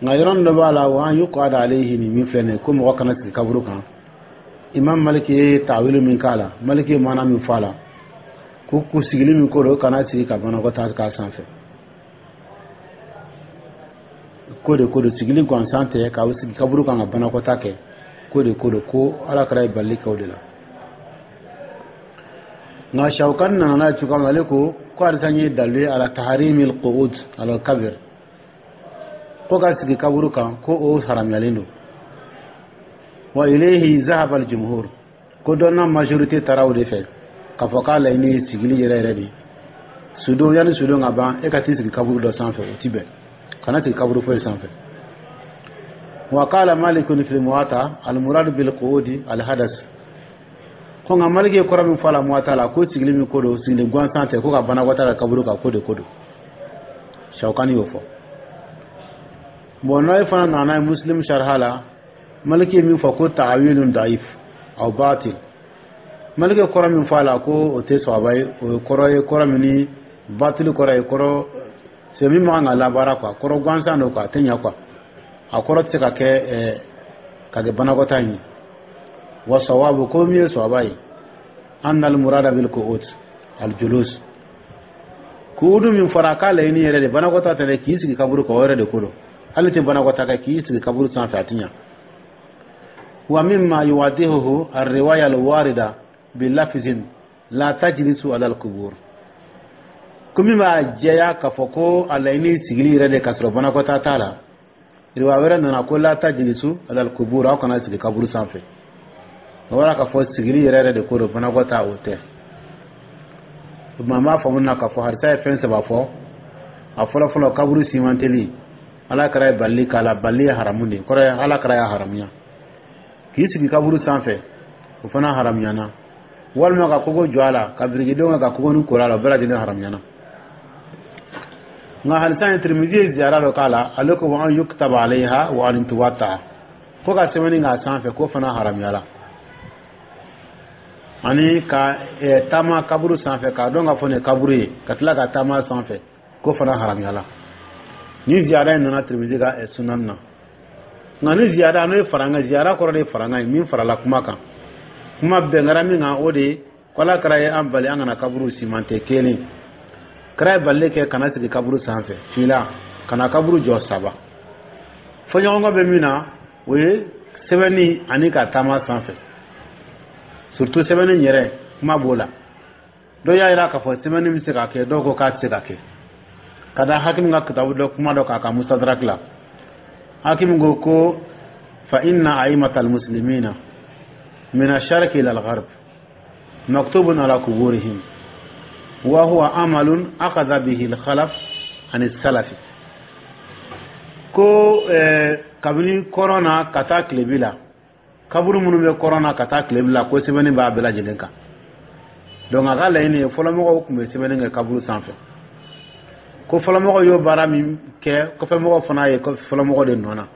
Nka yɔrɔ dɔ b'a la, wa an yuqada alayhi, nin min filɛ nin ye, ko mɔgɔ kana sigi kaburu kan, Imam Maliki ye tawilu min k'a la, Maliki ye maana min fɔ a la, ko ko sigili min ko don, kana sigi ka banakɔtaa k'a sanfɛ, ko de ko don, sigili gansan tɛ, k'a sigi kaburu kan ka banakɔtaa kɛ, ko de ko don, ko Ala kɛra ye balili kɛ o de la. Nka Shawkani nana n'a ye cogoya min na, ale ko ko hadisa ye dalilu ye ala taharimil qu'ud ala kabir, ko ka sigi kaburu kan, ko o haramuyalen don. Wa ilayhi zahaba al jumhur, ko dɔnna majorité taara o de fɛ, k'a fɔ k'a laɲini ye sigili yɛrɛ yɛrɛ de. Sudon, yanni sudon ka ban, e ka t'i sigi kaburu dɔ sanfɛ, o ti bɛn. Kana sigi kaburu foyi sanfɛ. Wa qala Malikun fil Muwatta: al murad bil qu'udi al hadas. Ko nka Maliki ye kɔrɔ min fɔ a la Muwatta la, ko sigili min ko don, sigili gansan tɛ, ko ka banakɔtaa kɛ kaburu kan, ko de ko don. Shawkani y'o fɔ. Bon, n'o fana nana ye Muslim sharha la, Maliki ye min fɔ ko ta'wilun da'if aw batil. Maliki ye kɔrɔ min fɔ a la, ko o tɛ sɔaba ye, o ye kɔrɔ ye, kɔrɔ min ni batili kɔrɔ ye, kɔrɔ c'est min man kan ka labaara quoi, kɔrɔ gansan don quoi, a tɛ ɲɛ quoi, a kɔrɔ tɛ se ka kɛ ɛɛ ka kɛ banakɔtaa in ye. Wa sawabu, ko min ye sɔaba ye, anna al murada bil qu'ud al julus. Kuudu min fɔra k'a laɲini yɛrɛ de banakɔtaa tɛ dɛ, k'i sigi kaburu kan, o yɛrɛ de ko don. Hali tɛ banakɔtaa kɛ, k'i sigi kaburu sanfɛ, a ti ɲa. Wa mimma yuwaddihuhu ar-riwaya al-warida bilafzin la tajlisu ala al-qubur, ko min b'a jɛya k'a fɔ ko a laɲini sigili yɛrɛ de ka sɔrɔ banakɔtaa t'a la, riwaya wɛrɛ nana ko la tajlisu ala al-qubur, aw kana sigi kaburu sanfɛ. O b'a k'a fɔ sigili yɛrɛ yɛrɛ de ko don, banakɔtaa o tɛ. O tuma, an b'a faamu na k'a fɔ hadisa ye fɛn saba fɔ. A fɔlɔ fɔlɔ, kaburu simanteli, Ala kɛra ye balili k'a la, balili ye haramu de ye, kɔrɔ ye Ala kɛra y'a haramuya. K'i sigi kaburu sanfɛ, o fana haramuyana. Walima ka kogo jɔ a la, ka birikidenw kɛ ka kogo ni kori a la, o bɛɛ lajɛlen haramuyana. Nka hadisa in, Tirimizi ye ziyara dɔ k'a la. Ale ko wa an yuktaba alayha wa an tuwata, ko ka sɛbɛnni k'a sanfɛ, k'o fana haramuyala. Ani ka taama kaburu sanfɛ, k'a dɔn k'a fɔ nin ye kaburu ye, ka tila ka taama sanfɛ, k'o fana haramuyala. Ni ziyara in nana Tirimizi ka sunan na. Nka ni ziyara, n'o ye farankan, ziyara kɔrɔ de ye farankan ye, min farala kuma kan, kuma bɛn kɛra min kan, o de ye ko Ala kɛra ye an bali an kana kaburu simante. Kelen, kɛra ye balili kɛ kana sigi kaburu sanfɛ. Fila, kana kaburu jɔ. Saba, fɔɲɔgɔnkɔ bɛ min na, o ye sɛbɛnni ani ka taama sanfɛ, surtout sɛbɛnni yɛrɛ, kuma b'o la. Dɔw y'a jira k'a fɔ sɛbɛnni bɛ se ka kɛ, dɔw ko k'a tɛ se ka kɛ, ka da Hakimi ka kitabu dɔ kuma dɔ k'a ka Mustadrak la. Hakimi ko ko fa inna aimata almuslimina min asharqi ila algharb maktubun ala kuburihim wa huwa amalun akhadha bihi alkhalaf an salafi. Ko eh, kabini kɔrɔn na ka taa tilebi la, kaburu minnu bɛ kɔrɔn na ka taa tilebi la, ko sɛbɛnni b'a bɛɛ lajɛlen kan. Donc a ka laɲini ye, fɔlɔmɔgɔw tun bɛ sɛbɛnni kɛ kaburu sanfɛ, ko fɔlɔmɔgɔw y'o baara min kɛ, kɔfɛmɔgɔw fana ye fɔlɔmɔgɔ de nɔ na.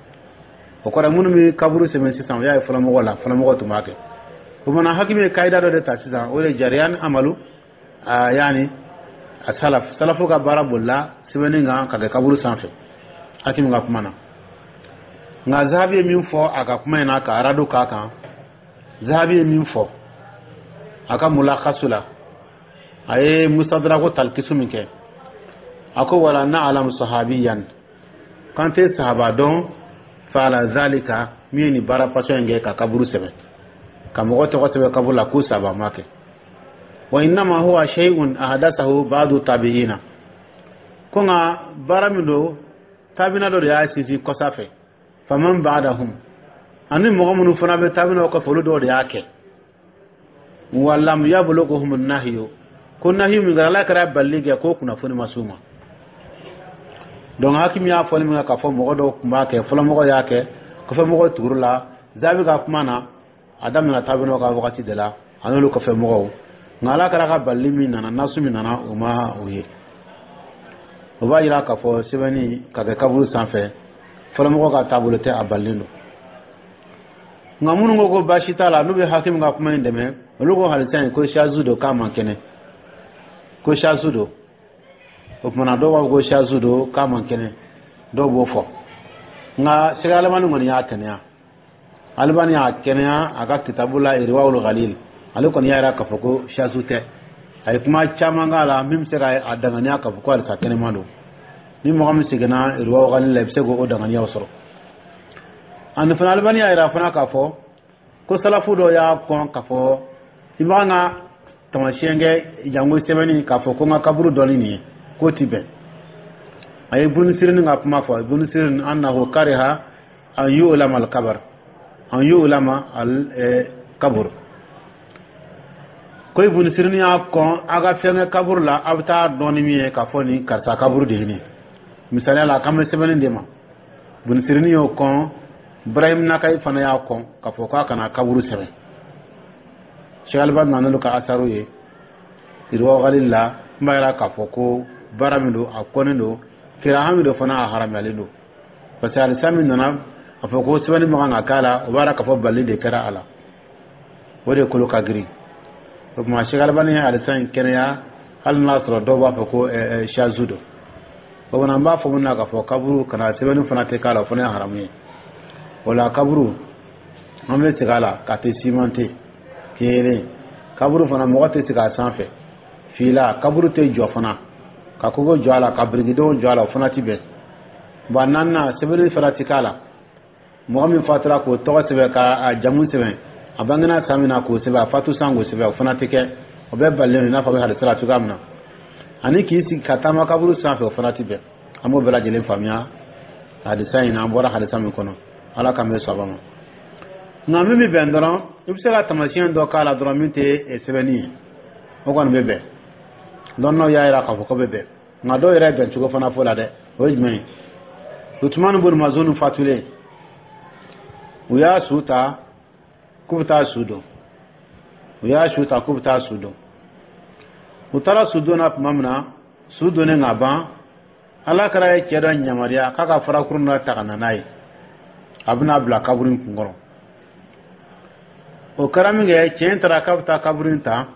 O kɔrɔ, minnu bɛ kaburu sɛbɛn sisan, o y'a ye fɔlɔmɔgɔ la, fɔlɔmɔgɔ tun b'a kɛ. O mana, Hakimi ye kayida dɔ de ta sisan, o de jariya ni amalu a yaani a salaf, salafu ka baara bolila sɛbɛnni kan ka kɛ kaburu sanfɛ, Hakimi ka kuma na. Nka Zahabi ye min fɔ a ka kuma in na, ka aradu k'a kan, Zahabi ye min fɔ a ka mulakasu la, a ye mustadrako talikisu min kɛ, a ko wala na'lam sahabiyan, kan tɛ sahaba dɔn fa'ala zalika, min ye nin baara fasɔn in kɛ ka kaburu sɛbɛn, ka mɔgɔ tɔgɔ sɛbɛn kaburu la, ko sahaba ma kɛ. Wa innama huwa shay'un ahdathahu ba'du tabi'ina, ko nka baara min don, tabina dɔ de y'a sinsin kɔsa fɛ, faman ba'dahum, ani mɔgɔ minnu fana bɛ tabinaw kɔfɛ, olu dɔw de y'a kɛ. Wa lam yablughuhum nahyu, ko nahyu min kɛra, Ala kɛra balili kɛ, ko kunnafoni ma s'u ma. Donc Hakimi y'a fɔli min kɛ k'a fɔ mɔgɔ dɔw tun b'a kɛ, fɔlɔmɔgɔw y'a kɛ, kɔfɛmɔgɔw tugur'u la, Zahabi ka kuma na, a daminɛna tabinaw ka wagati de la, a n'olu kɔfɛ mɔgɔw. Nka Ala kɛra ka balili min nana, nasu min nana, o ma o ye. O b'a jira k'a fɔ sɛbɛnni ka kɛ kaburu sanfɛ, Fɔlɔmɔgɔw ka taabolo tɛ, a balilen don. Nka minnu ko ko baasi t'a la, n'u bɛ Hakimu ka kuma in dɛmɛ, olu ko hadisa in ko shazu don, k'a man kɛnɛ, ko shazu don. O kumana, dɔw b'a fɔ ko shazu don, k'a man kɛnɛ, dɔw b'o fɔ. Nka Sɛki Alimani kɔni y'a kɛnɛya, Alimani y'a kɛnɛya a ka kitabu la, Irwawul Ghalil. Ale kɔni y'a yira k'a fɔ ko shazu tɛ. A ye kuma caman k'a la min bɛ se ka a danganiya k'a fɔ ko hadisa kɛnɛma don. Ni mɔgɔ min seginna Irwawul Ghalil la, i bɛ se k'o danganiyaw sɔrɔ. Ani fana, Alimani y'a yira fana k'a fɔ ko salafu dɔw y'a kɔn k'a fɔ i b'an ka tamasiyɛn kɛ jango sɛbɛnni k'a fɔ ko n ka kaburu dɔnni nin ye, k'o ti bɛn. A ye Ibn Sirin ka kuma fɔ, Ibn Sirin annahu kariha an yu'lama al-qabr, an yu'lama al-qabr, ko Ibn Sirin y'a kɔn a ka fɛn kɛ kaburu la, a bɛ taa dɔn ni min ye k'a fɔ nin karisa kaburu de ye nin. Misaliya la, a kan bɛ sɛbɛnni de ma. Ibn Sirin y'o kɔn, Ibrahim Nakayi fana y'a kɔn k'a fɔ k'a kana kaburu sɛbɛn. Cheikh Albani nana n'olu ka asaru ye Irwa Ghalil la, n b'a yira k'a fɔ ko baara min don, a kɔnnen don, kiraha min don fana, a haramuyalen don, parce que hadisa min nana a fɔ ko sɛbɛnni man kan ka k'a la, o b'a yira k'a fɔ bali de kɛra a la, o de kolo ka girin. O tuma, Cheikh Albani ye hadisa in kɛnɛya, hali n'a sɔrɔ dɔw b'a fɔ ko shazu don. O fana, n b'a fɔ mun na k'a fɔ kaburu kana sɛbɛnni fana tɛ k'a la, o fana ye haramu ye. O la, kaburu, an bɛ segin a la k'a tɛ simante. Kelen, kaburu fana, mɔgɔ tɛ sigi a sanfɛ. Fila, kaburu tɛ jɔ fana, ka kogo jɔ a la, ka birikidenw jɔ a la, o fana ti bɛn. Bon, naaninan, sɛbɛnni fana ti k'a la. Mɔgɔ min fatura, k'o tɔgɔ sɛbɛn, k'a jamu sɛbɛn, a bangena san min na k'o sɛbɛn, a fatu san k'o sɛbɛn, o fana tɛ kɛ. O bɛɛ balilen don, i n'a fɔ a bɛ hadisa la cogoya min na. Ani k'i sigi ka taama kaburu sanfɛ, o fana ti bɛn. An b'o bɛɛ lajɛlen faamuya hadisa in na, an bɔra hadisa min kɔnɔ. Ala k'an bɛ saba ma. Nka min bɛ bɛn dɔrɔn, i bɛ se ka taamasiyɛn dɔ k'a la dɔrɔn min tɛ sɛbɛnni ye, o kɔni bɛ bɛn. Dɔnniyaw y'a jira k'a fɔ ko bɛ bɛn. Nka dɔw yɛrɛ bɛn cogo fana fɔ la dɛ, o ye jumɛn ye? Utumani bun Mazun fatulen, u y'a su ta k'u bɛ taa su don. U y'a su ta k'u bɛ taa su don. U taara su don na tuma min na, su donnen ka ban, Ala kɛra ye cɛ dɔ yamaruya k'a ka farakurun dɔ ta ka na n'a ye, a bɛna bila kaburu in kunkɔrɔ. O kɛra min kɛ, cɛ in taara k'a bɛ taa kaburu in ta,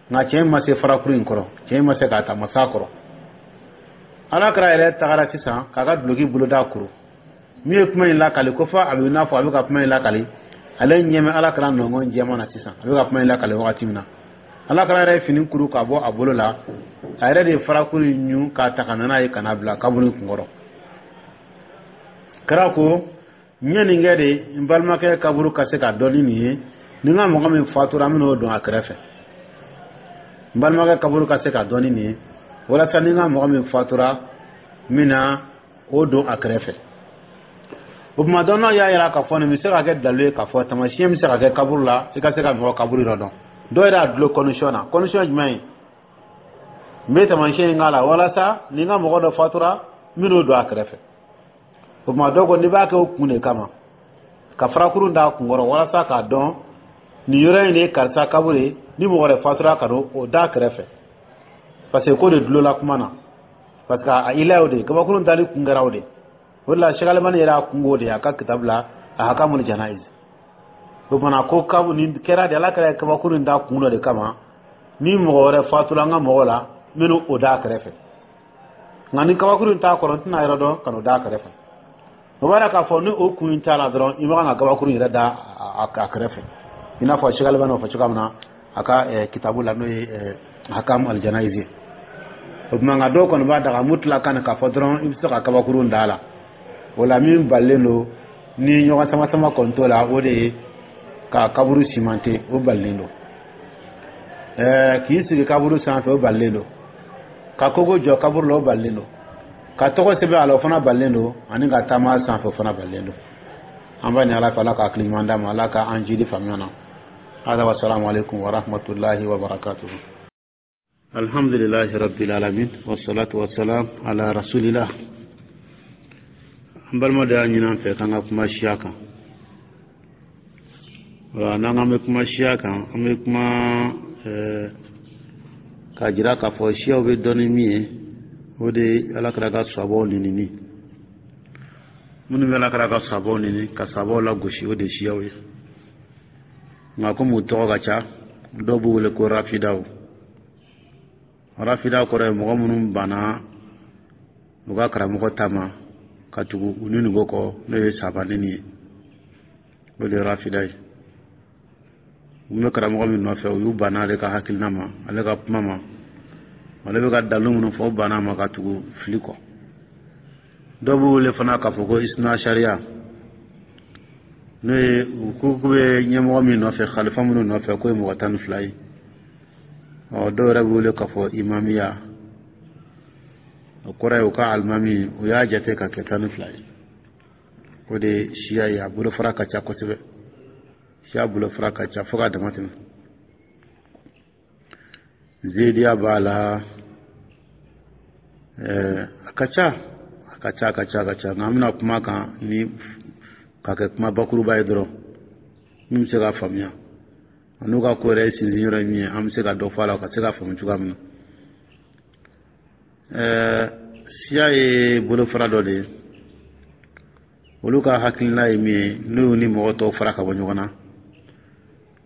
nka cɛ in ma se farakuru in kɔrɔ, cɛ in ma se k'a ta, ma s'a kɔrɔ. Ala kɛra yɛrɛ tagara sisan k'a ka duloki boloda kuru. Min ye kuma in lakali, ko fɔ a bɛ n'a fɔ a bɛ ka kuma in lakali, ale ɲɛ bɛ Ala kɛra nɔngɔn jɛman na sisan. A bɛ ka kuma in lakali wagati min na, Ala kɛra yɛrɛ ye fini kuru k'a bɔ a bolo la, a yɛrɛ de ye farakuru in ɲun k'a ta ka na n'a ye ka n'a bila kaburu in kunkɔrɔ. Kɛra ko n ye nin kɛ de, n balimakɛ kaburu ka se ka dɔn ni nin ye. Ni n ka mɔgɔ min fatura, an bɛn'o don a kɛrɛfɛ. N balimakɛ kaburu ka se ka dɔn ni nin ye, walasa ni n ka mɔgɔ min fatura, n bɛna o don a kɛrɛfɛ. O tuma, dɔnnaw y'a yira k'a fɔ nin bɛ se ka kɛ dalilu ye k'a fɔ taamasiyɛn bɛ se ka kɛ kaburu la, i ka se ka mɔgɔ kaburu yɔrɔ dɔn. Dɔw yɛrɛ y'a dulon condition na. Condition jumɛn ye? N bɛ taamasiyɛn in k'a la walasa ni n ka mɔgɔ dɔ fatura, n bɛn'o don a kɛrɛfɛ. O tuma, dɔw ko n'i b'a kɛ o kun de kama, ka farakurun d'a kunkɔrɔ walasa k'a dɔn nin yɔrɔ in de ye karisa kaburu ye, ni mɔgɔ wɛrɛ fatura, ka don o d'a kɛrɛfɛ, parce que ko de dulonla kuma na, parce que a ila y'o de ye, kabakurun dali kun kɛra o de. O de la, Cheikh Alimani yɛrɛ y'a kungo de ye a ka kitabu la, Ahkamul Janayiz. O kumana, ko kabu nin kɛra de, Ala kɛra kabakurun da kun dɔ de kama, ni mɔgɔ wɛrɛ fatura an ka mɔgɔ la, n bɛn'o o d'a kɛrɛfɛ. Nka ni kabakurun t'a kɔrɔ, n tɛna yɔrɔ dɔn ka n'o d'a kɛrɛfɛ. O b'a yira k'a fɔ ni o kun in t'a la dɔrɔn, i man kan ka kabakurun yɛrɛ da a kɛrɛfɛ, i n'a fɔ Cheikh Alimani y'o fɔ cogoya min na a ka kitabu la, n'o ye Ahkam al-Janayiz ye. O tuma, nka dɔw kɔni b'a daga mutlakan k'a fɔ dɔrɔn i bɛ se ka kabakurun da a la. O la, min balilen don ni ɲɔgɔn sama sama kɔni t'o la, o de ye ka kaburu simante, o balilen don. Ɛɛ k'i sigi kaburu sanfɛ, o balilen don. Ka kogo jɔ kaburu la, o balilen don. Ka tɔgɔ sɛbɛn a la, o fana balilen don. Ani ka taama sanfɛ, o fana balilen don. An b'a ɲini Ala fɛ, Ala ka hakili ɲuman d'a ma, Ala ka an jidi faamuya na. Hada wa salamu alaikum wa rahmatullahi wa barakatuh. Alhamdulillahi rabbil alamin, wassalatu wassalam ala rasulillah. An balima dɔ y'a ɲini an fɛ k'an ka kuma siya kan. Wala, n'an k'an bɛ kuma siya kan, an bɛ kuma k'a jira k'a fɔ siyaw bɛ dɔn ni min ye, o de ye Ala kɛra ka sabaw nɛnini. Minnu bɛ Ala ka sabaw neni, ka sabaw lagosi, o de ye siyaw ye. Nka komi u tɔgɔ ka ca, dɔw b'u wele ko rafidaw. Rafida kɔrɔ ye mɔgɔ minnu banna u ka karamɔgɔ ta ma ka tugu u ni nugu kɔ, n'o ye sabaneni ye, o de ye rafida ye. U bɛ karamɔgɔ min nɔfɛ, u y'u banna ale ka hakilina ma, ale ka kuma ma, ale bɛ ka dalu minnu fɔ, u banna ma ka tugu fili kɔ. Dɔw b'u wele fana k'a fɔ ko isna sariya, n'o ye u ko k'u bɛ ɲɛmɔgɔ min nɔfɛ, xalifa minnu nɔfɛ, k'o ye mɔgɔ tan ni fila ye. Ɔ, dɔw yɛrɛ b'u wele k'a fɔ imamiya, o kɔrɔ ye u ka alimami, u y'a jate ka kɛ tan ni fila ye. O de ye siya ye. A bolofara ka ca kosɛbɛ, siya bolofara ka ca fo k'a dama tɛmɛ. Zediya b'a la, ɛɛ a ka ca, a ka ca, a ka ca, a ka ca. Nka an bɛna kuma kan ni k'a kɛ kuma bakuruba ye dɔrɔn, min bɛ se k'a faamuya, n'u ka ko yɛrɛ ye sinsin yɔrɔ ye min ye, an bɛ se ka dɔ fɔ a la ka se k'a faamu cogoya min na. Ɛɛ siya ye bolofara dɔ de ye. Olu ka hakilina ye min ye, n'u y'u ni mɔgɔ tɔw fara ka bɔ ɲɔgɔn na,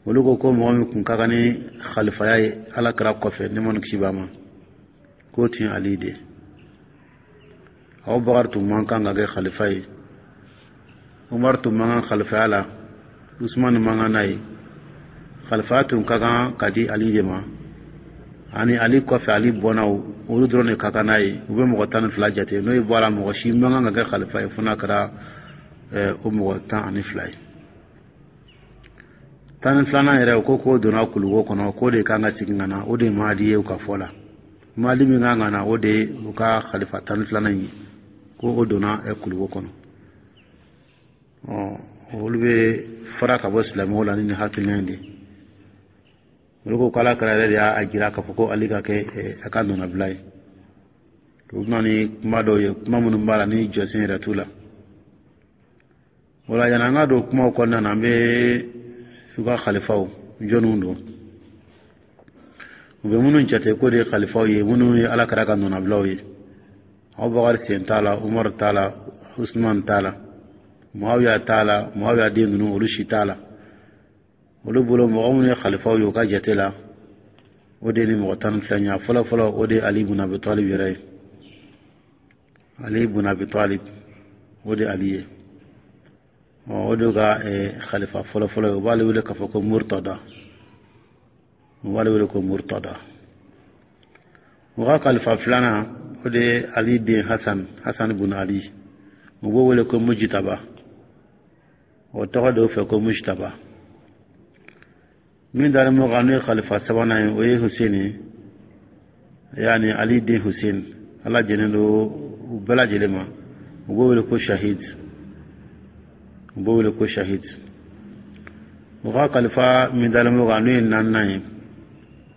olu ko ko mɔgɔ min kun ka kan ni xalifaya ye Ala kira kɔfɛ, nɛɛma ni kisi b'a ma, k'o tun ye Ali de ye. Abubakar tun man kan ka kɛ xalifa ye, Umar tun man kan xalifaya la, Usman man kan n'a ye. Xalifaya tun ka kan ka di Ali de ma, ani Ali kɔfɛ, Ali bɔnnaw, olu dɔrɔn de ka kan n'a ye. U bɛ mɔgɔ tan ni fila jate, n'o ye bɔ a la, mɔgɔ si man kan ka kɛ xalifa ye fo n'a kɛra o mɔgɔ tan ani fila ye. Tan ni filanan yɛrɛ, o ko k'o donna kuluwo kɔnɔ, k'o de kan ka segin ka na, o de ye Mahadi ye. U ka fɔ la, Mahadi min kan ka na, o de ye u ka xalifa tan ni filanan ye, ko o donna kuluwo kɔnɔ. Ɔ, olu bɛ fara ka bɔ silamɛw la ni nin hakilina in de ye. Olu ko k'Ala kɛra yɛrɛ de y'a jira k'a fɔ ko Ali ka kɛ a ka nɔnabila ye. U bɛ na ni kuma dɔw ye, kuma minnu b'a la ni jɔsen yɛrɛ t'u la. O la, yanni an ka don kumaw kɔnɔna na, an bɛ u ka xalifaw jɔnniw don, u bɛ minnu jate k'o de ye xalifaw ye, minnu ye Ala kɛra ka nɔnabilaw ye. Abubakar sen t'a la, Umaru t'a la, Usman t'a la, Muawiya t'a la, Muawiya den ninnu, olu si t'a la. Olu bolo, mɔgɔ minnu ye xalifaw ye u ka jate la, o de ni mɔgɔ tan ni fila ɲɛ. Fɔlɔ fɔlɔ, o de ye Ali bun Abi Talib yɛrɛ ye. Ali bun Abi Talib, o de Ali ye. Ɔ, o de ka xalifa fɔlɔ fɔlɔ ye. U b'ale wele k'a fɔ ko Murtada, u b'ale wele ko Murtada. U ka xalifa filanan, o de ye Ali den Hasan, Hasan bun Ali, u b'o wele ko Mujitaba, o tɔgɔ de fɛ ko Mujitaba. Min dalen b'o kan, n'o ye xalifa sabanan ye, o ye Hussein, yaani Ali den Hussein, Ala jɛnnen don u bɛɛ lajɛlen ma. U b'o wele ko Shahid, u b'o wele ko Shahid. U ka kalifa min dalen b'o kan, n'o ye naaninan ye,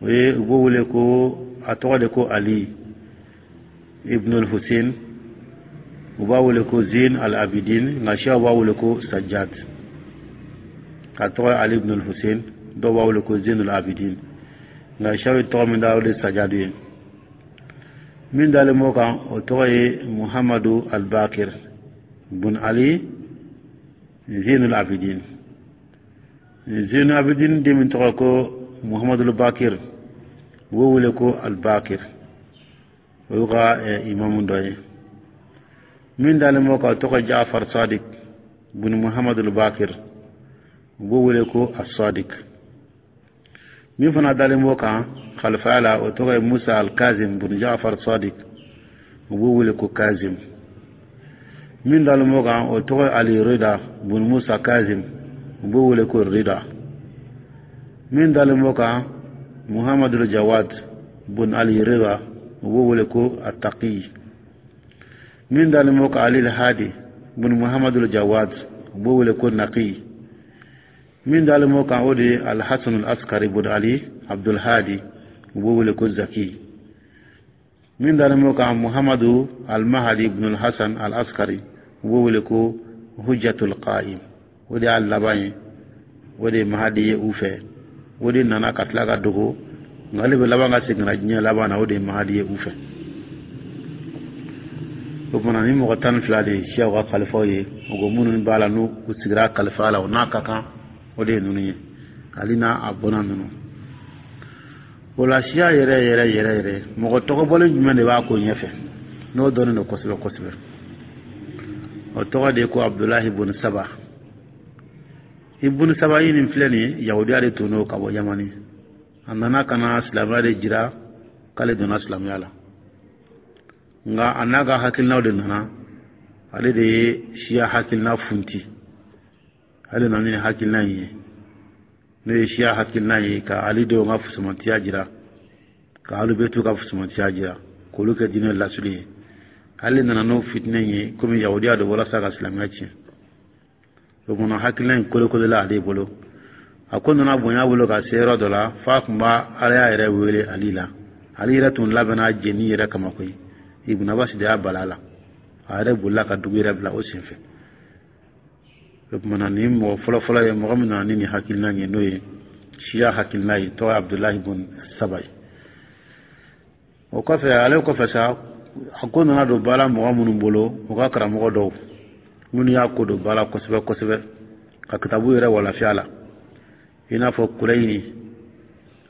o ye, u b'o wele ko, a tɔgɔ de ko Ali ibn al-Hussein, u b'a wele ko Zin al-Abidin, nka siyaw b'a wele ko Sajjad. A tɔgɔ ye Ali ibn al-Hussein, dɔw b'a wele ko Zin al-Abidin, nka siyaw ye tɔgɔ min da, o de ye Sajjad ye. Min dalen b'o kan, o tɔgɔ ye Muhammadu al-Bakir bun Ali Zin al-Abidin. Zin al-Abidin den min tɔgɔ ko Muhammadu al-Bakir, u b'o wele ko al-Bakir, o y'u ka imamu dɔ ye. Min dalen b'o kan, o tɔgɔ Jafar Sadiq bun Muhammadu al-Bakir, u b'o wele ko as-Sadiq. Min fana dalen b'o kan xalifaya la, o tɔgɔ ye Musa al-Kazim bun Jafar Sadiq, u b'o wele ko Kazim. Min dalen b'o kan, o tɔgɔ ye Ali Rida bun Musa Kazim, u b'o wele ko Rida. Min dalen b'o kan, Muhammadu Jawad bun Ali Rida, u b'o wele ko Ataqi. Min dalen b'o kan, Ali Hadi bun Muhammadu Jawad, u b'o wele ko Naqi. Min dalen b'o kan, o de ye Alhasan al-Askari bun Ali Abdul Hadi, u b'o wele ko Zaki. Min dalen b'o kan, Muhammadu al-Mahdi ibn al-Hasan al-Askari, u b'o wele ko Hujjatul Qa'im. O de y'a laban ye, o de ye Mahadi ye u fɛ. O de nana ka tila ka dogo, nka ale bɛ laban ka segin ka na diɲɛ laban na, o de ye Mahadi ye u fɛ. O kumana, ni mɔgɔ tan ni fila de ye siyaw ka kalifaw ye, o ko minnu b'a la, n'u sigira kalifa la, o n'a ka kan, o de ye ninnu ye, Ali n'a a bɔnna ninnu. O la, siya yɛrɛ yɛrɛ yɛrɛ yɛrɛ, mɔgɔ tɔgɔbɔlen jumɛn de b'a ko ɲɛfɛ, n'o dɔnnen don kosɛbɛ kosɛbɛ? O tɔgɔ de ye ko Abudulahi bun Saba. Ibun Saba yi nin filɛ nin ye, yahudiya de tun don ka bɔ Yamani. A nana ka na silamɛya de jira k'ale donna silamɛya la, nka a n'a ka hakilinaw de nana. Ale de ye siya hakilina funti. Ale nana ni hakilina in ye, n'o ye siya hakilina ye, ka Ali denw ka fusamantiya jira, ka Alubetu ka fusamantiya jira, k'olu kɛ diinɛ lasuli ye. Ale nana n'o fitinɛ ye, komi yahudiya don, walasa ka silamɛya tiɲɛ. O kɔnɔ, hakilina in kolokolola ale bolo. A ko nana bonya bolo ka se yɔrɔ dɔ la, f'a tun b'a Alaya yɛrɛ wele Ali la. Ali yɛrɛ tun labɛnna jeni yɛrɛ kama koyi. Ibn Abbas de y'a bala la, a yɛrɛ bolila ka dugu yɛrɛ bila o senfɛ. O kumana, ni mɔgɔ fɔlɔfɔlɔ ye, mɔgɔ min nana ni nin hakilina ye, n'o ye siya hakilina ye, tɔgɔ ye Abudulahi bun Saba ye. O kɔfɛ, ale kɔfɛ sa, a ko nana don ba la mɔgɔ minnu bolo, u ka karamɔgɔ dɔw minnu y'a ko don ba la kosɛbɛ kosɛbɛ, ka kitabu yɛrɛ walafiya la, i n'a fɔ Kulayini.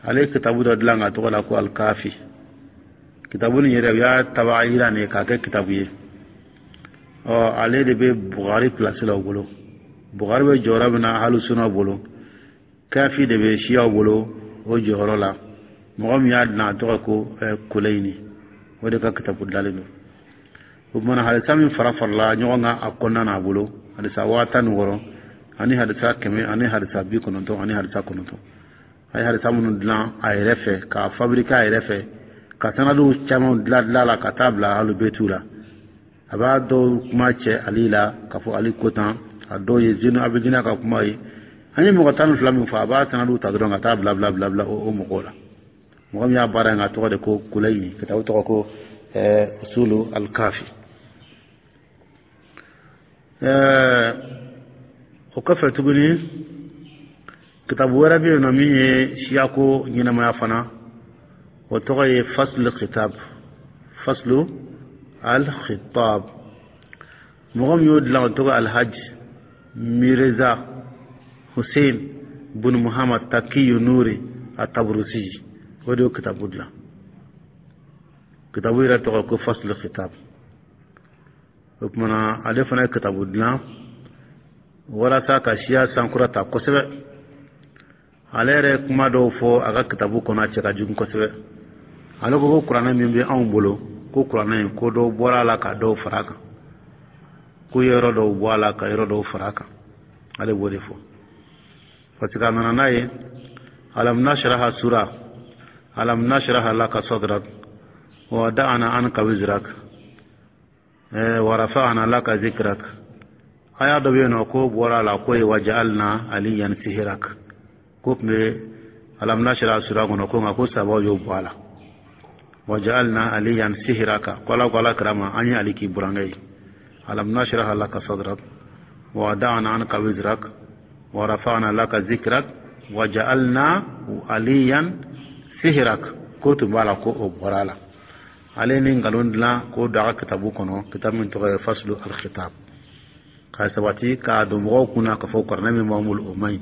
Ale ye kitabu dɔ dilan ka tɔgɔ la ko Alikafi. Kitabu nin yɛrɛ, u y'a taba yira nin k'a kɛ kitabu ye. Ɔ, ale de bɛ Bugari pilasi la u bolo. Bugari bɛ jɔyɔrɔ min na Alusuna bolo, Kafi de bɛ siyaw bolo o jɔyɔrɔ la. Mɔgɔ min y'a dilan, a tɔgɔ ko Kulayini, o de ka kitabu dilanlen don. O kumana, hadisa min fara farala ɲɔgɔn kan a kɔnɔna n'a bolo, hadisa waa tan ni wɔɔrɔ, ani hadisa kɛmɛ, ani hadisa bi kɔnɔntɔn, ani hadisa kɔnɔntɔn. A ye hadisa minnu dilan a yɛrɛ fɛ, k'a fabriquer a yɛrɛ fɛ, ka sanadiw caman dilan dilan la ka taa bila Alubetu la. A b'a dɔw kuma cɛ Ali la, k'a fɔ Ali ko tan. A dɔw ye Zenu Abidina ka kuma ye. An ye mɔgɔ tan ni fila min fɔ, a b'a sanadiw ta dɔrɔn ka taa bila bila bila bila o mɔgɔw la. Mɔgɔ min y'a baara in, a tɔgɔ de ko Kulayini. Kitabu tɔgɔ ko Usulu Alkafi. Ɛɛ o kɔfɛ tuguni, kitabu wɛrɛ bɛ yen nɔ min ye siyako ɲɛnamaya fana, o tɔgɔ ye Faslu Khitab, Faslu Al Khitab. Mɔgɔ min y'o dilan, o tɔgɔ Alhaji Mirza Hussein bun Muhammad Takiyu Nuri Ataburusi, o de y'o kitabu dilan. Kitabu yɛrɛ tɔgɔ ko Faslu Khitab. O kumana, ale fana ye kitabu dilan walasa ka siya sankura ta kosɛbɛ. Ale yɛrɛ kuma dɔw fɔ a ka kitabu kɔnɔ, a cɛ ka jugu kosɛbɛ. Ale ko ko kuranɛ min bɛ anw bolo, ko kuranɛ in, ko dɔw bɔra a la ka dɔw fara a kan, ko yɔrɔ dɔw bɔ a la ka yɔrɔ dɔw fara a kan. Ale b'o de fɔ, parce que a nana n'a ye alam nashraha sura, alam nashraha laka sadrak wa wada'na anka wizrak wa rafa'na laka zikrak. Aya dɔ bɛ yen nɔ ko bɔra a la, ko ye waja'alna aliyan sihirak, ko tun bɛ alam nashraha sura kɔnɔ, ko nka ko sabaw y'o bɔ a la. Waja'alna aliyan sihiraka, ko Ala ko Ala kira ma, an ye Ali k'i burankɛ ye. Alam nashraha laka sadrak wa wada'na anka wizrak wa rafa'na laka zikrak wa ja'alna aliyan sihrak, ko tun b'a la, ko o bɔra a la. Ale ni nkalon dilan k'o don a ka kitabu kɔnɔ, kitabu min tɔgɔ ye Faslu Alkhitab, k'a sabati k'a don mɔgɔw kunna k'a fɔ kuranɛ min b'an bolo, o man ɲi.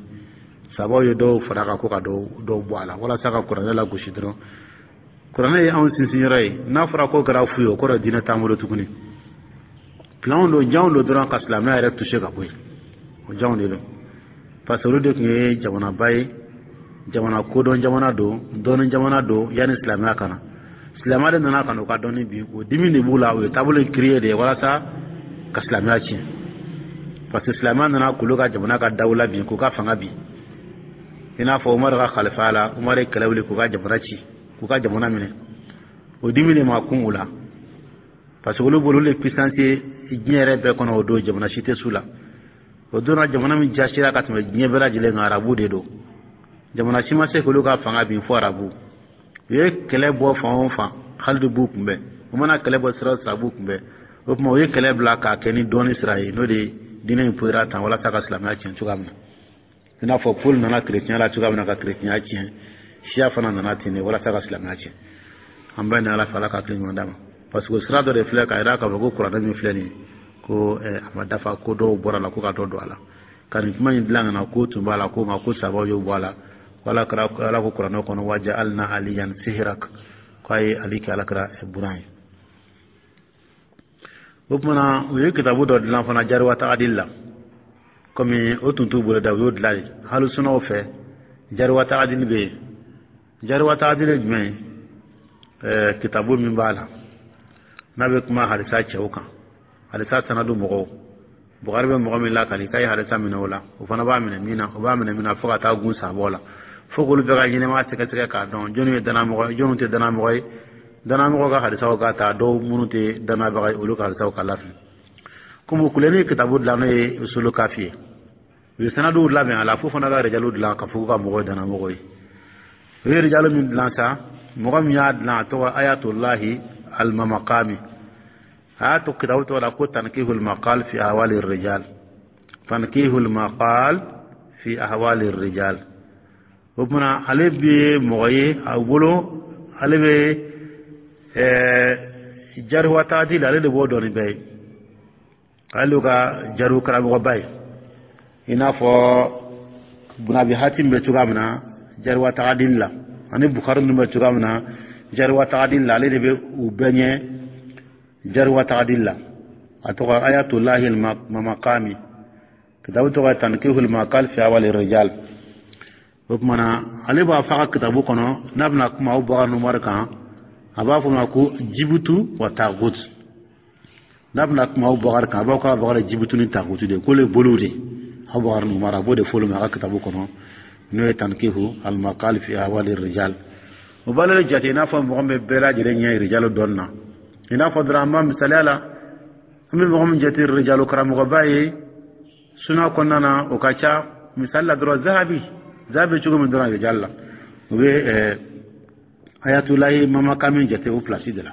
Sabaw ye dɔw fara a kan, ko ka dɔw dɔw bɔ a la walasa ka kuranɛ lagosi dɔrɔn. Kuranɛ ye anw sinsinyɔrɔ ye. N'a fɔra k'o kɛra fu ye, o kɔrɔ diinɛ t'an bolo tuguni. Planw don, janw don dɔrɔn ka silamɛya yɛrɛ toucher ka bɔ yen. O janw de don, parce que olu de tun ye jamanaba ye, jamana kodɔn jamana don, dɔnni jamana don yanni silamɛya ka na. Silamɛya de nana ka na u ka dɔnni bin. O dimi de b'u la. U ye taabolo in créer de ye walasa ka silamɛya tiɲɛ, parce que silamɛya nana k'olu ka jamana ka dawula bin, k'u ka fanga bin. I n'a fɔ Umaru ka kalifaya la, Umaru ye kɛlɛ wuli k'u ka jamana ci, k'u ka jamana minɛ. O dimi de ma kun u la, parce que olu bolo, olu ye puissance ye diɲɛ yɛrɛ bɛɛ kɔnɔ. O don, jamana si tɛ s'u la. O don na, jamana min jasira ka tɛmɛ diɲɛ bɛɛ lajɛlen kan, arabu de don. Jamana si ma se k'olu ka fanga bin fo arabu. U ye kɛlɛ bɔ fan o fan, Halidu b'u kunbɛn. U mana kɛlɛ bɔ sira o sira, b'u kunbɛn. O tuma, u ye kɛlɛ bila k'a kɛ ni dɔɔni sira ye, n'o de ye diinɛ in poyira tan, walasa ka silamɛya tiɲɛ cogoya min na. I n'a fɔ Paul nana kerecɛnya la cogoya min na ka kerecɛnya tiɲɛ, siya fana nana ten de walasa ka silamɛya tiɲɛ. An bɛɛ ni Ala fɛ, Ala ka hakili ɲuman d'a ma. Parce que sira dɔ de filɛ k'a jira k'a fɔ ko kuranɛ min filɛ nin ye, ko a ma dafa, ko dɔw bɔra la, ko ka dɔ don a la, ka nin kuma in dilan ka na, ko tun b'a la, ko nka ko sabaw y'o bɔ a la, ko Ala kɛra Ala ko kuranɛ kɔnɔ: وجعلنا عليا صهرك, k'a ye Ali kɛ Ala kɛra buran ye. O kumana, u ye kitabu dɔ dilan fana جرح وتعديل la. Komi o tun t'u bolo da, u y'o dilan de. Hali sunaw fɛ, جرح وتعديل bɛ yen. جرح وتعديل ye jumɛn ye? ɛɛ kitabu min b'a la, n'a bɛ kuma hadisa cɛw kan, hadisa sanadu mɔgɔw, Bukari bɛ mɔgɔ min lakali k'a ye hadisa minɛ o la, o fana b'a minɛ min na, o b'a minɛ min na, fo ka taa gun sabɔ la, fo k'olu bɛɛ ka ɲɛnɛmaya sɛgɛsɛgɛ k'a dɔn jɔnni ye danamɔgɔ ye, jɔnni tɛ danamɔgɔ ye, danamɔgɔ ka hadisaw ka ta, dɔw minnu tɛ danabaga ye, olu ka hadisaw ka lafili. Komi Kuleni ye kitabu dilan, n'o ye Usulu Kafi ye, u ye sanaduw labɛn a la, fo fana ka rijalu dilan ka fɔ k'u ka mɔgɔw ye danamɔgɔ ye. U ye rijalu min dilan sa, mɔgɔ min y'a dilan, a tɔgɔ Ayatulahi Almamakami. A y'a to kitabu tɔgɔ la ko تنقيح المقال في أحوال الرجال، تنقيح المقال في أحوال الرجال. O kumana, ale bɛ mɔgɔ ye a bolo, ale bɛ ɛɛ جرح وتعديل, ale de b'o dɔn ni bɛɛ ye, ale ka jariw karamɔgɔba ye, i n'a fɔ Bunabi Hatim bɛ cogoya min na جرح وتعديل la, ani Bukari ninnu bɛ cogoya min na جرح وتعديل la, ale de bɛ u bɛɛ ɲɛ جرح وتعديل la. A tɔgɔ Ayatulahi Mamakami, kitabu tɔgɔ تنقيح المقال في أحوال الرجال. O kumana, ale b'a fɔ a ka kitabu kɔnɔ, n'a bɛna kuma Abubakar Umar kan, a b'a fɔ ma ko جبت وطاغوت. N'a bɛna kuma Abubakar kan, a b'a fɔ ko Abubakar ye جبت ni طاغوت de ye, k'olu ye boliw de ye, Abubakar ni Umar. A b'o de fɔ olu ma a ka kitabu kɔnɔ, n'o ye تنقيح المقال في أحوال الرجال. O b'ale jate i n'a fɔ mɔgɔ min bɛ bɛɛ lajɛlen ɲɛ rijalu dɔnni na. I n'a fɔ dɔrɔn, an b'a misaliya la, an bɛ mɔgɔ min jate rijalu karamɔgɔba ye suna kɔnɔna na, o ka ca. Misali la dɔrɔn, Zahabi. Zahabi cogo min dɔrɔn rijal la, o bɛ Ayatulahi Mamakami jate o place de la.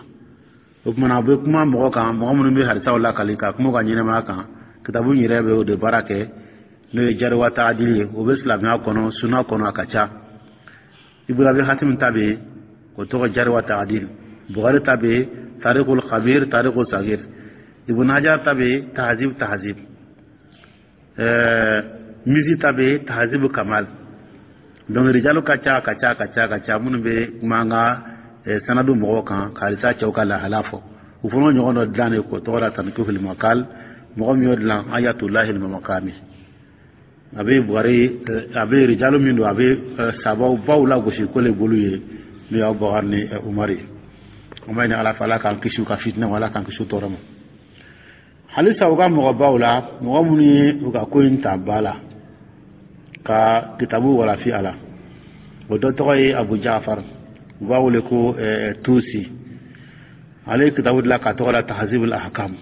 O kumana, a bɛ kuma mɔgɔ kan, mɔgɔ minnu bɛ hadisaw lakali, ka kuma u ka ɲɛnɛmaya kan. Kitabu in yɛrɛ bɛ o de baara kɛ, n'o ye جرح وتعديل ye. O bɛ silamɛya kɔnɔ, suna kɔnɔ, a ka ca. Ibn Abi Hatim ta bɛ yen, o tɔgɔ جرح وتعديل. Bukhari ta bɛ yen, تاريخ الكبير، تاريخ الصغير. Ibn Hajar ta bɛ yen, Tahzib Tahzib. ɛɛ Mizi ta bɛ yen, Tahzib Kamal. Donc rijalu ka ca, ka ca, ka ca, ka ca, minnu bɛ kuma an ka sanadu mɔgɔw kan, ka hadisa cɛw ka lahala fɔ. U fana ɲɔgɔn dɔ dilan de k'o tɔgɔ la تنقيح المقال. Mɔgɔ min y'o dilan, Ayatulahi Mamakami, a bɛ Buhari, a bɛ rijalu min don, a bɛ sabaw baw lagosi ko le bolo ye, n'o ye Abubakar ni Umar ye. An b'a ɲini Ala fɛ, Ala k'an kisi u ka fitinɛ ma, Ala k'an kisi u tɔɔrɔ ma. Halisa, u ka mɔgɔbaw la, mɔgɔ minnu ye u ka ko in ta ba la ka kitabu walafi a la, o dɔ tɔgɔ ye Abu Jafar, u b'a wele ko Tusi. Ale ye kitabu dilan k'a tɔgɔ la تهذيب الأحكام.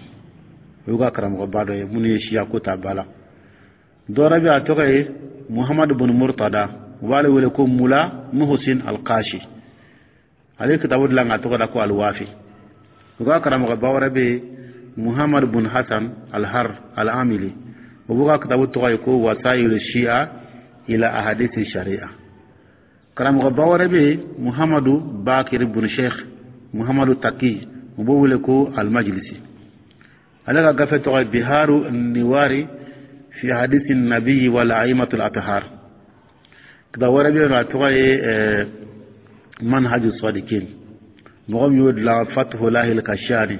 O y'u ka karamɔgɔba dɔ ye minnu ye siya ko ta ba la. Dɔ wɛrɛ bɛ, a tɔgɔ ye Muhamadu bin Murtada, u b'ale wele ko Mula Muhsin Alkashi. Ale ye kitabu dilan k'a tɔgɔ da ko Alwafi. U ka karamɔgɔba wɛrɛ bɛ yen, Muhamadu bin Hasan Alhar Al-Amili, o b'u ka kitabu tɔgɔ ye ko وسائل الشيعة إلى أحاديث الشريعة. Karamɔgɔba wɛrɛ bɛ yen, Muhamadu Bakir bin Sheikh Muhamadu Taki, u b'o wele ko Almajlisi. Ale ka gafe tɔgɔ ye بحار الأنوار في أحاديث النبي والأئمة الأطهار. Kitabu wɛrɛ bɛ yen nɔ, a tɔgɔ ye منهج الصادقين. Mɔgɔ min y'o dilan, Fatuhulahi Kashani,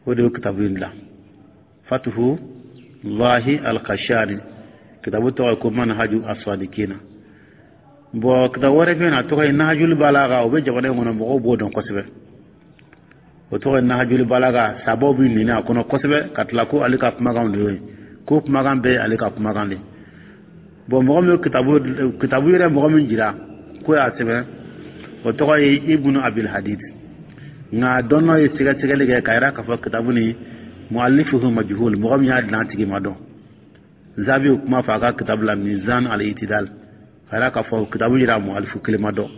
o de y'o kitabu in dilan, Fatuhulahi Alkashani. Kitabu tɔgɔ ye ko منهج الصادقين. Bon, kitabu wɛrɛ bɛ yen, a tɔgɔ ye Nahajuli Balaga. O bɛ jamana in kɔnɔ, mɔgɔw b'o dɔn kosɛbɛ. O tɔgɔ ye Nahajuli Balaga. Sabaw bɛ nini a kɔnɔ kosɛbɛ, ka tila ko ale ka kumakan de y'o ye, ko kumakan bɛɛ ye ale ka kumakan de. Bon, mɔgɔ min ye kitabu kitabu yɛrɛ, mɔgɔ min jira ko y'a sɛbɛn, o tɔgɔ ye Ibnu Abil Hadid. Nka dɔnnɔ ye sɛgɛsɛgɛli kɛ k'a yira k'a fɔ kitabu ni مؤلفه مجهول, mɔgɔ min y'a dilan, a tigi ma dɔn. Zahabi ye kuma fɔ a ka kitabu la ميزان الاعتدال, k'a yira k'a fɔ kitabu yira mu'alifu kelen ma dɔn,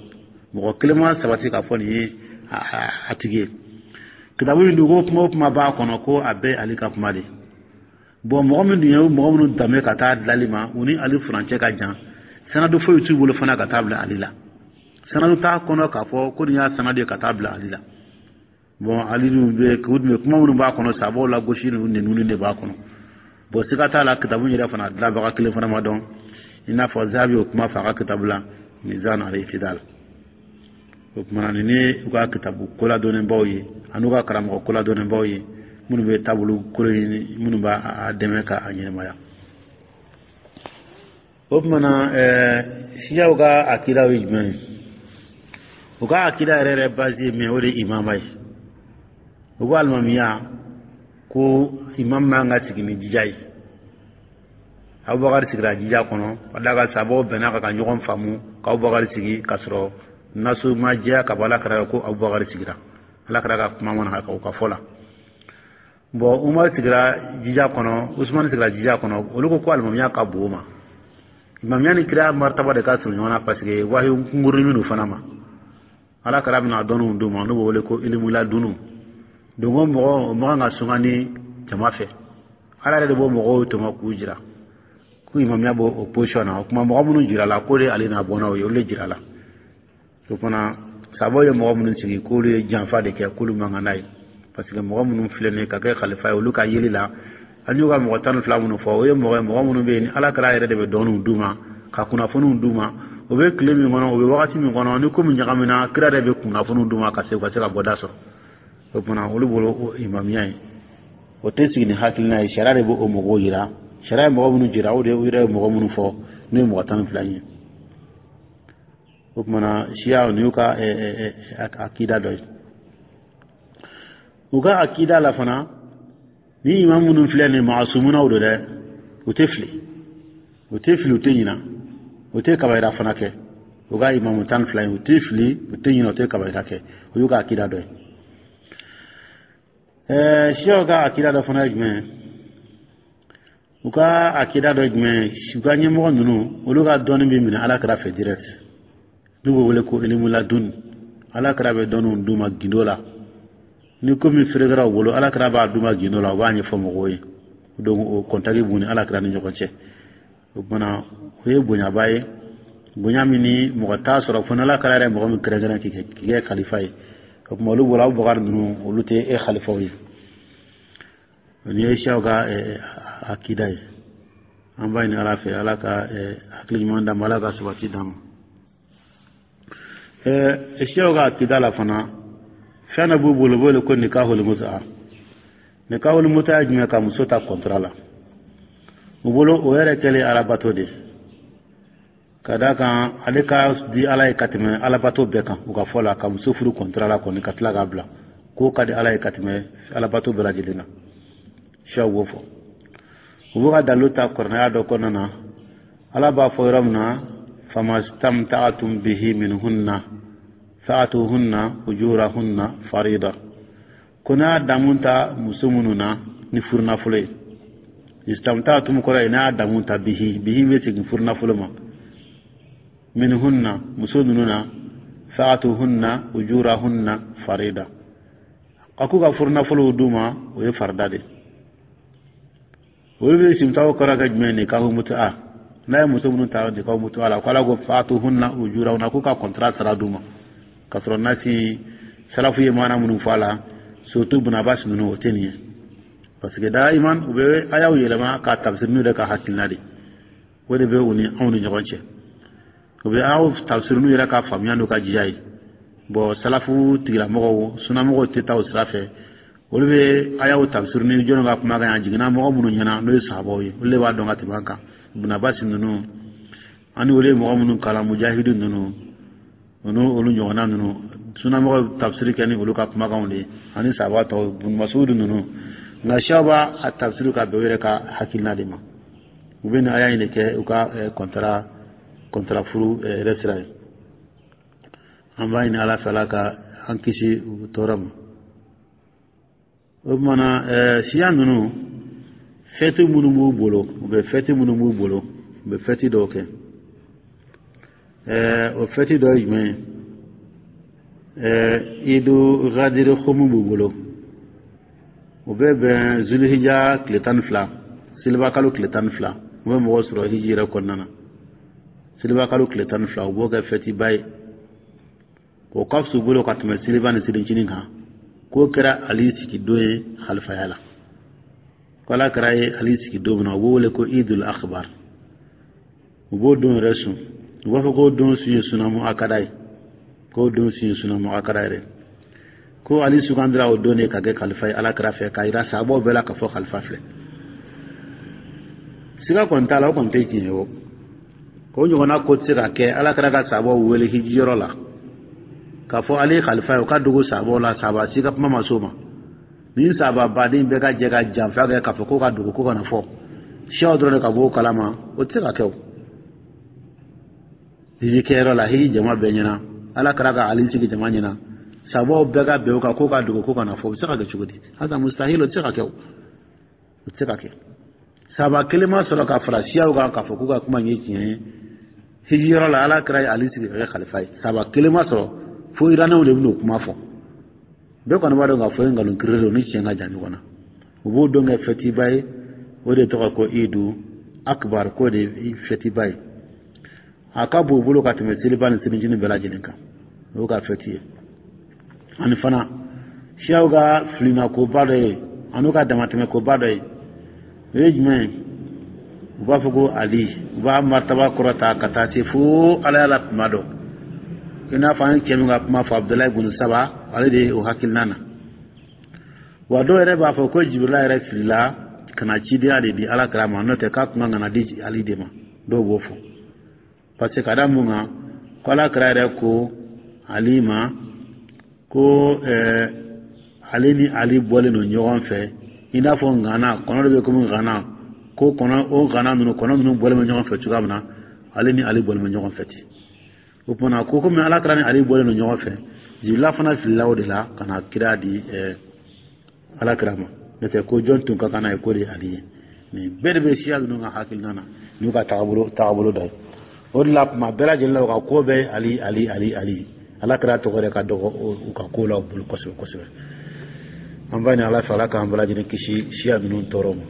mɔgɔ kelen ma sabati k'a fɔ nin ye a tigi ye. Kitabu in dun, ko kuma o kuma b'a kɔnɔ, ko a bɛɛ ale ka kuma de. Bon, mɔgɔ min dun ye mɔgɔ minnu danbe ka taa dilali ma, u ni Ali furancɛ ka jan, sanadu foyi t'u bolo fana ka taa bila Ali la. Sanadu t'a kɔnɔ k'a fɔ ko nin y'a sanadu ye ka taa bila Ali la. Bon, ali dun bɛ u dun bɛ kuma minnu b'a kɔnɔ, sabaw la gosi ninnu, ninnu de b'a kɔnɔ. Bon, siga t'a la, kitabu yɛrɛ fana dilanbaga kelen fana ma dɔn, i n'a fɔ Zahabi y'o kuma fɔ a ka kitabu la, Mizan al-I'tidal. O kumana, nin ni u ka kitabu koladɔnnenbaw ye ani u ka karamɔgɔ koladɔnnenbaw ye, minnu bɛ taabolo kolo ɲini, minnu b'a dɛmɛ k'a ɲɛnɛmaya. O kumana, ɛɛ siyaw ka akidaw ye jumɛn ye? U ka akida yɛrɛ yɛrɛ base ye min ye, o de ye imama ye. U ko alimamiya, ko imam man ka sigi ni jija ye. Abubakar sigira jija kɔnɔ ka d'a kan sabaw bɛnna ka ka ɲɔgɔn faamu ka Abubakar sigi, k'a sɔrɔ nasu ma jɛya ka bɔ Ala kira ko Abubakar sigira. Ala kira ka kuma mana ka o ka fɔ la. Bon, Umar sigira jija kɔnɔ, Usman sigira jija kɔnɔ. Olu ko ko alimamiya ka bon o ma. Imamiya ni kira martaba de ka surun ɲɔgɔn na, parce que wahi kunkurunin minnu fana ma, Ala kira bɛna dɔnniw d'u ma, n'u b'o wele ko ilimula dunu. Donc o mɔgɔ o man kan ka sungani jama fɛ, Ala yɛrɛ de b'o mɔgɔw tɔmɔ k'u jira ko imamiya b'o o position na. O kuma, mɔgɔ minnu jira la, k'o de ale n'a bɔnnaw ye, olu de jira la. O fana, sabaw ye mɔgɔ minnu sigi, k'olu ye janfa de kɛ, k'olu man kan n'a ye, parce que mɔgɔ minnu filɛ nin ye ka kɛ khalifa ye, olu ka yeli la, an y'u ka mɔgɔ tan ni fila minnu fɔ, o ye mɔgɔ ye, mɔgɔ minnu bɛ yen ni Ala kɛra yɛrɛ de bɛ dɔnniw d'u ma, ka kunnafoniw d'u ma. O bɛ tile min kɔnɔ, o bɛ wagati min kɔnɔ, ni ko min ɲagamina, kira yɛrɛ bɛ kunnafoniw d'u ma ka se u ka se ka bɔda sɔrɔ. O tuma, olu bolo, o imamiya ye, o tɛ sigi ni hakilina ye, sariya de b'o mɔgɔw yira. Sariya ye mɔgɔ minnu jira, o de u yɛrɛ ye mɔgɔ minnu fɔ, n'o ye mɔgɔ tan ni fila ye. O kumana, siya nin y'u ka akida dɔ ye. U ka akida la fana, ni imam minnu filɛ nin, maasumunaw don dɛ, u tɛ fili, u tɛ fili, u tɛ ɲina, u tɛ kabayira fana kɛ. U ka imamu tan ni fila in, u tɛ fili, u tɛ ɲina, u tɛ kabayira kɛ. O y'u ka akida dɔ ye. Ɛɛ siyaw ka akida dɔ fana ye jumɛn ye? U ka akida dɔ ye jumɛn ye? U ka ɲɛmɔgɔ ninnu, olu ka dɔnni bɛ minɛ Ala kira fɛ direct, n'u b'o wele ko ilimuladun. Ala kira bɛ dɔnniw d'u ma gindo la. Ni ko min ferekera u bolo, Ala kira b'a d'u ma gindo la, u b'a ɲɛfɔ mɔgɔw ye. Donc o contact b'u ni Ala kira ni ɲɔgɔn cɛ. O kumana, o ye bonyaba ye, bonya min ni mɔgɔ t'a sɔrɔ fo n'Ala kira yɛrɛ mɔgɔ min kɛrɛnkɛrɛn k'i kɛ khalifa ye. O tuma, olu bolo, Abubakar ninnu, olu tɛ e khalifaw ye. Nin ye siyaw ka akida ye. An b'a ɲini Ala fɛ, Ala ka hakili ɲuman d'an ma, Ala ka sabati d'an ma. Siyaw ka akida la fana, fɛn dɔ b'u bolo, u b'o wele ko nikahul muta. Nikahul muta ye jumɛn? Ka muso ta contrat la. U bolo, o yɛrɛ kɛlen alabato de, ka d'a kan ale ka di Ala ye ka tɛmɛ alabato bɛɛ kan. U ka fɔ la, ka muso furu contrat la kɔni, ka tila k'a bila, k'o ka di Ala ye ka tɛmɛ alabato bɛɛ lajɛlen kan. Siyaw b'o fɔ. U b'u ka dalilu ta kuranɛya dɔ kɔnɔna na. Ala b'a fɔ yɔrɔ min na: famastamta'tum bihi minhunna fa'atuhunna ujurahunna farida. Ko n'a damu ta muso minnu na ni furunafolo ye, istamta'tum kɔrɔ ye n'a y'a damu ta, bihi, bihi bɛ segin furunafolo ma, minhunna, muso ninnu na, fa'atuhunna ujurahunna farida, a k'u ka furunafolow d'u ma, o ye farida de. Olu bɛ simitaw kɔrɔ kɛ jumɛn? Nikahu mutu'a. N'a ye muso minnu ta nikahu mutu'a la, ko Ala ko fa'atuhunna ujurahunna, k'u ka contrat sara d'u ma, k'a sɔrɔ nasi salafu ye maana minnu fɔ a la, surtout Ibn Abbas ninnu, o tɛ nin ye, parce que daiman u bɛ ayaw yɛlɛma k'a tafsir n'u yɛrɛ ka hakilina de. O de bɛ u ni anw ni ɲɔgɔn cɛ. U bɛ ayaw tafsir n'u yɛrɛ ka faamuya n'u ka jiya ye. Bon, salafu tigilamɔgɔw, sunamɔgɔw tɛ taa o sira fɛ. Olu bɛ ayaw tafsir ni jɔnni ka kumakan ye? A jiginna mɔgɔ minnu ɲɛna, n'o ye sahabaw ye, olu de b'a dɔn ka tɛmɛ an kan. Ibn Abbas ninnu ani olu ye mɔgɔ minnu kalan, mujahidu ninnu, olu olu ɲɔgɔnna ninnu, sunamɔgɔw tafsiri kɛ ni olu ka kumakanw de ye ani sahaba tɔw, Ibn Mas'ud ninnu. Nka siyaw b'a a tafsiri ka bɛn u yɛrɛ ka hakilina de ma. U bɛ nin aya in de kɛ u ka contrat contrat furu yɛrɛ sira ye. An b'a ɲini Ala fɛ, Ala ka an kisi u tɔɔrɔ ma. O kumana, siya ninnu, fɛti minnu b'u bolo, u bɛ fɛti minnu b'u bolo, u bɛ fɛti dɔw kɛ. O fɛti dɔ ye jumɛn ye? Idu Gadiri Khomu b'u bolo. O bɛ bɛn Zulhija tile tan ni fila, seliba kalo tile tan ni fila. U bɛ mɔgɔ sɔrɔ hiji yɛrɛ kɔnɔna na, seliba kalo tile tan ni fila, u b'o kɛ fɛtiba ye. O ka fisa u bolo ka tɛmɛ seliba ni selincinin kan. K'o kɛra Ali sigi don ye halifaya la, ko Ala kira ye Ali sigi don min na, u b'o wele ko Idul Akbar. U b'o don yɛrɛ sun, u b'a fɔ k'o don sun ye sunamu akada ye, k'o don sun ye sunamu akada yɛrɛ, ko Ali sugandira o don de ka kɛ kalifa ye Ala kira fɛ, k'a yira sahabaw bɛɛ la k'a fɔ kalifa filɛ. Siga kɔni t'a la, o kɔni tɛ tiɲɛ ye. O o ɲɔgɔnna ko tɛ se ka kɛ. Ala kira ka sahabaw wele hijiyɔrɔ la k'a fɔ ale ye kalifa ye, o ka dogo sahabaw la, sahaba si ka kuma ma s'o ma. Ni sahaba baden bɛɛ ka jɛ ka janfa kɛ k'a fɔ ko ka dogo, ko kana fɔ, siyaw dɔrɔn de ka bɔ o kalama, o tɛ se ka kɛ. O hiji kɛyɔrɔ la, hiji jama bɛɛ ɲɛna, Ala kira ka Ali sigi jama ɲɛna, sahabaw bɛɛ ka bɛn o kan ko ka dogo, ko kana fɔ, o bɛ se ka kɛ cogo di? Hasa mustahil, o tɛ se ka kɛ, o o tɛ se ka kɛ. Sahaba kelen ma sɔrɔ ka fara siyaw kan k'a fɔ k'u ka kuma in ye tiɲɛ ye. Hijiyɔrɔ la, Ala kira ye Ali sigi ka kɛ kalifa ye, sahaba kelen ma sɔrɔ, fo Iranɛw de bɛn'o kuma fɔ. Bɛɛ kɔni b'a dɔn k'a fɔ ye nkalon kiiri don ni tiɲɛ ka jan ɲɔgɔn na. U b'o don kɛ fɛtiba ye, o de tɔgɔ ko Idu Akbar, k'o de ye fɛtiba ye, a ka bon u bolo ka tɛmɛ seliba ni selincinin bɛɛ lajɛlen kan. O y'u ka fɛti ye. Ani fana, siyaw ka filinakoba dɔ ye ani ka damatɛmɛkoba dɔ ye, o ye jumɛn ye? U b'a fɔ ko Ali, u b'a martaba kɔrɔta ka taa se fo Ala la kuma dɔ, i n'a fɔ an ye cɛ min ka kuma fɔ, Abudulayi bun Saba, ale de ye o hakilina na. Wa dɔw yɛrɛ b'a fɔ ko Jibirila yɛrɛ filila ka na cidenya de di Ala kira ma, n'o tɛ k'a kun kan ka na di Ali de ma. Dɔw b'o fɔ parce que ka da mun kan? Ko Ala kira yɛrɛ ko Ali ma ko ɛɛ ale ni Ali bɔlen don ɲɔgɔn fɛ i n'a fɔ ŋana kɔnɔ dɔ bɛ komi ŋana, ko kɔnɔ o ŋana ninnu, kɔnɔ ninnu bɔlen bɛ ɲɔgɔn fɛ cogoya min na, ale ni Ali bɔlen bɛ ɲɔgɔn fɛ ten. O tuma ko komi Ala kira ni Ali bɔlen don ɲɔgɔn fɛ, Jibirila fana filila o de la ka na kira di ɛɛ Ala kira ma, n'o tɛ ko jɔn tun ka kan n'a ye, k'o de ye Ali ye. Nin bɛɛ de bɛ siya ninnu ka hakilina na n'u ka tagabolo tagabolo dɔ ye. O de la, kuma bɛɛ lajɛlen la, u ka ko bɛɛ Ali, Ali, Ali, Ali. Ala kira tɔgɔ yɛrɛ ka dɔgɔ u ka ko la u bolo kosɛbɛ kosɛbɛ. An b'a ɲini Ala fɛ, Ala k'an bɛɛ lajɛlen kisi siya ninnu tɔɔrɔ ma.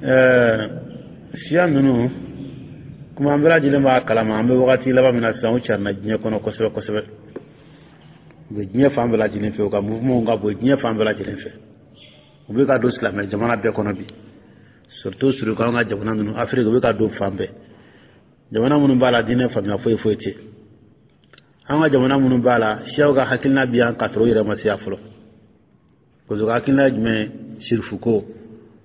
Ɛɛ siya ninnu kuma, an bɛɛ lajɛlen b'a kalama, an bɛ wagati laban min na sisan, u carinna diɲɛ kɔnɔ kosɛbɛ kosɛbɛ. U bɛ diɲɛ fan bɛɛ lajɛlen fɛ, u ka mouvement ka bon diɲɛ fan bɛɛ lajɛlen fɛ. U bɛ ka don silamɛ jamana bɛɛ kɔnɔ bi, surtout surtout an ka jamana ninnu, Afiriki, u bɛ ka don fan bɛɛ. Jamana minnu b'a la, diinɛ faamuya foyi foyi tɛ. An ka jamana minnu b'a la, siyaw ka hakilina bi yan k'a sɔrɔ u yɛrɛ ma se yan fɔlɔ, parce que u ka hakilina ye jumɛn ye? Sirifu ko.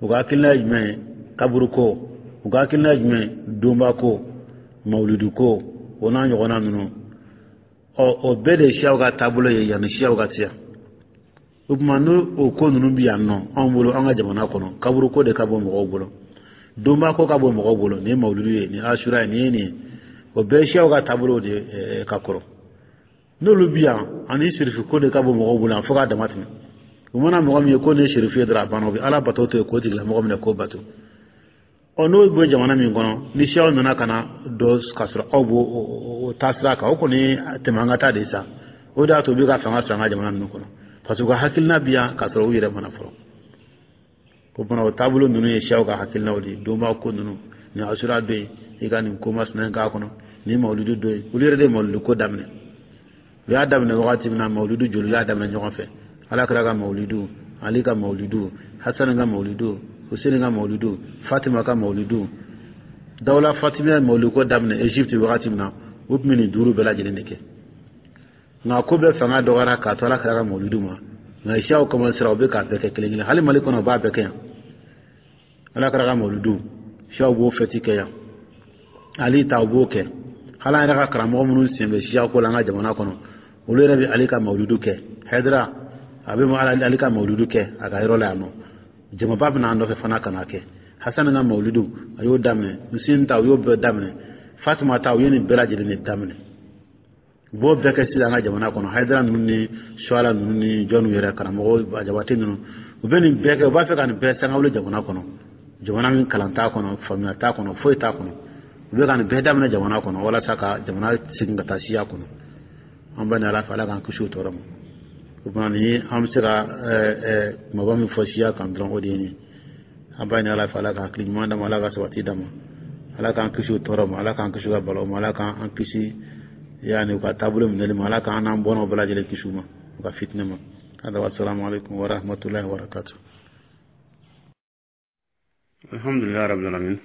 U ka hakilina ye jumɛn ye? Kaburu ko. U ka hakilina ye jumɛn ye? Donba ko, mawuludu ko, o n'a ɲɔgɔnna ninnu. Ɔ o bɛɛ de ye siyaw ka taabolo ye yanni siyaw ka se yan. O tuma, n'o o ko ninnu bi yan nɔ anw bolo, an ka jamana kɔnɔ, kaburu ko de ka bon mɔgɔw bolo, donba ko ka bon mɔgɔw bolo, nin ye mawuludu ye, nin ye asura ye, nin ye nin ye, o bɛɛ ye siyaw ka taabolo de ye ka kɔrɔ. N'olu bi yan, ani sirifu ko de ka bon mɔgɔw bolo yan fo k'a dama tɛmɛ. U mana mɔgɔ min ye ko nin ye sirifu ye dɔrɔn, a banna, u bɛ Ala bato to yen k'o tigilamɔgɔ minɛ k'o bato. Ɔ n'o bɛ jamana min kɔnɔ, ni siyaw nana ka na dɔ k'a sɔrɔ aw b'o o taasira kan, o kɔni tɛmɛ an ka taa de sa. O de y'a to u bɛ ka fanga sɔrɔ an ka jamana ninnu kɔnɔ, parce que u ka hakilina bi yan k'a sɔrɔ u yɛrɛ mana fɔlɔ. O fana, o taabolo ninnu ye siyaw ka hakilinaw de ye. Donba ko ninnu, nin asura dɔ yen, i ka nin ko masina in k'a kɔnɔ, nin mawuludu dɔ yen, olu yɛrɛ de ye mawuludu ko daminɛ. U y'a daminɛ wagati min na, mawuludu joli y'a daminɛ ɲɔgɔn fɛ? Ala kira ka mawuludu, Ali ka mawuludu, Hasani ka mawuludu, Hussein ka mawuludu, Fatima ka mawuludu. Dawula Fatima ye mawuludu ko daminɛ Egypte wagati min na, u tun bɛ nin duuru bɛɛ lajɛlen de kɛ. Nka ko bɛɛ fanga dɔgɔyara k'a to Ala kira ka mawuludu ma. Nka siyaw commencera, u bɛ k'a bɛɛ kɛ kelen kelen. Hali Mali kɔnɔ, u b'a bɛɛ kɛ yan. Ala kira ka mawuludu, siyaw b'o fɛti kɛ yan. Ali ta, u b'o kɛ. Hali an yɛrɛ ka karamɔgɔ minnu sen bɛ siya ko la an ka jamana kɔnɔ, olu yɛrɛ bɛ Ali ka mawuludu kɛ. Hayidara a bɛ Ali ka mawuludu kɛ a ka yɔrɔ la yan nɔ, jamaba bɛ n'an nɔfɛ fana ka na kɛ. Hasani ka mawuludu, a y'o daminɛ. Hussein ta, u y'o bɛɛ daminɛ. Fatima ta, u ye nin bɛɛ lajɛlen de daminɛ. U b'o bɛɛ kɛ sisan an ka jamana kɔnɔ. Hayidara ninnu ni Suwala ninnu ni jɔnniw yɛrɛ, karamɔgɔ Jabate ninnu, u bɛ nin bɛɛ kɛ. U b'a fɛ ka nin bɛɛ sangawuli jamana kɔnɔ, jamana min kalan t'a kɔnɔ, faamuya t'a kɔnɔ, foyi t'a kɔnɔ. U bɛ ka nin bɛɛ daminɛ jamana kɔnɔ walasa ka jamana segin ka taa siya kɔnɔ. An bɛ Ala fɛ, Ala k'an kisi o tɔɔrɔ ma. O tuma, ni an bɛ se ka kumaba min fɔ siya kan dɔrɔn, o de ye nin ye. An b'a ɲini Ala fɛ, Ala ka hakili ɲuman d'a ma, Ala ka sabati d'a ma, Ala k'an kisi o tɔɔrɔ ma, Ala k'an kisi u ka balaw ma, Ala k'an kisi. Yani u ka taabolo minɛli ma. Ala k'an n'an bɔnnaw bɛɛ lajɛlen kisi u ma, u ka fitinɛ ma. Hada, wassalamu alaikum wa rahmatullahi wa barakatuh. Alhamdulillah rabbil alamin.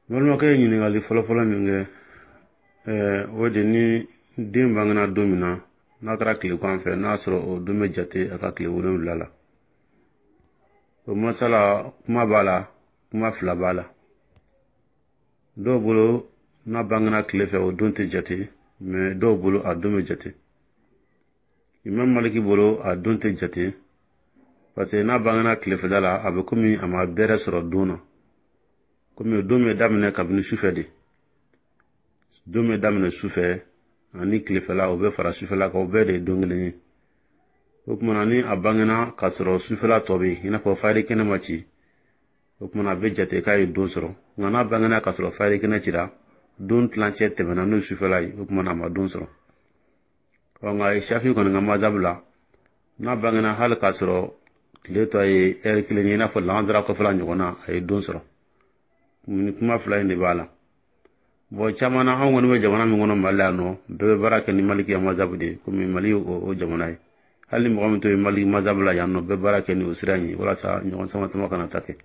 Balimakɛ ye ɲininkali fɔlɔfɔlɔ min kɛ, ɛɛ o de ni den bangena don min na, n'a kɛra tilegan fɛ, n'a sɔrɔ o don bɛ jate a ka tile wolonwula la. O masala, kuma b'a la, kuma fila b'a la. Dɔw bolo, n'a bangena tile fɛ, o don tɛ jate, mais dɔw bolo, a don bɛ jate. Imam Maliki bolo, a don tɛ jate, parce que n'a bangena tilefɛla la, a bɛ komi a ma bɛrɛ sɔrɔ don na, komi don bɛ daminɛ kabini sufɛ de. Don bɛ daminɛ sufɛ ani tilefɛla, o bɛ fara sufɛla kan, o bɛɛ de ye don kelen ye. O tuma na, ni a bangena k'a sɔrɔ sufɛla tɔ bɛ yen, i n'a fɔ fayiri kɛnɛ ma ci, o tuma na a bɛ jate k'a ye don sɔrɔ. Nka n'a bangena k'a sɔrɔ fayiri kɛnɛ cira, don tilancɛ tɛmɛna, n'o ye sufɛla ye, o tuma na a ma don sɔrɔ. Ɔ nka Shafi kɔni ka mazabu la, n'a bangena hali k'a sɔrɔ tile tɔ ye ɛri kelen ye, i n'a fɔ lansara kɔfɛla ɲɔgɔn na, a ye don sɔrɔ. Ni kuma fila in de b'a la. Bon, caman na, anw kɔni bɛ jamana min kɔnɔ, Mali la yan nɔ, bɛɛ bɛ baara kɛ ni Maliki ya mazabu de ye, komi Mali ye o jamana ye. Hali ni mɔgɔ min to ye Maliki mazabu la yan nɔ, bɛɛ baara kɛ ni o sira in ye, walasa ɲɔgɔn sama sama kana ta kɛ.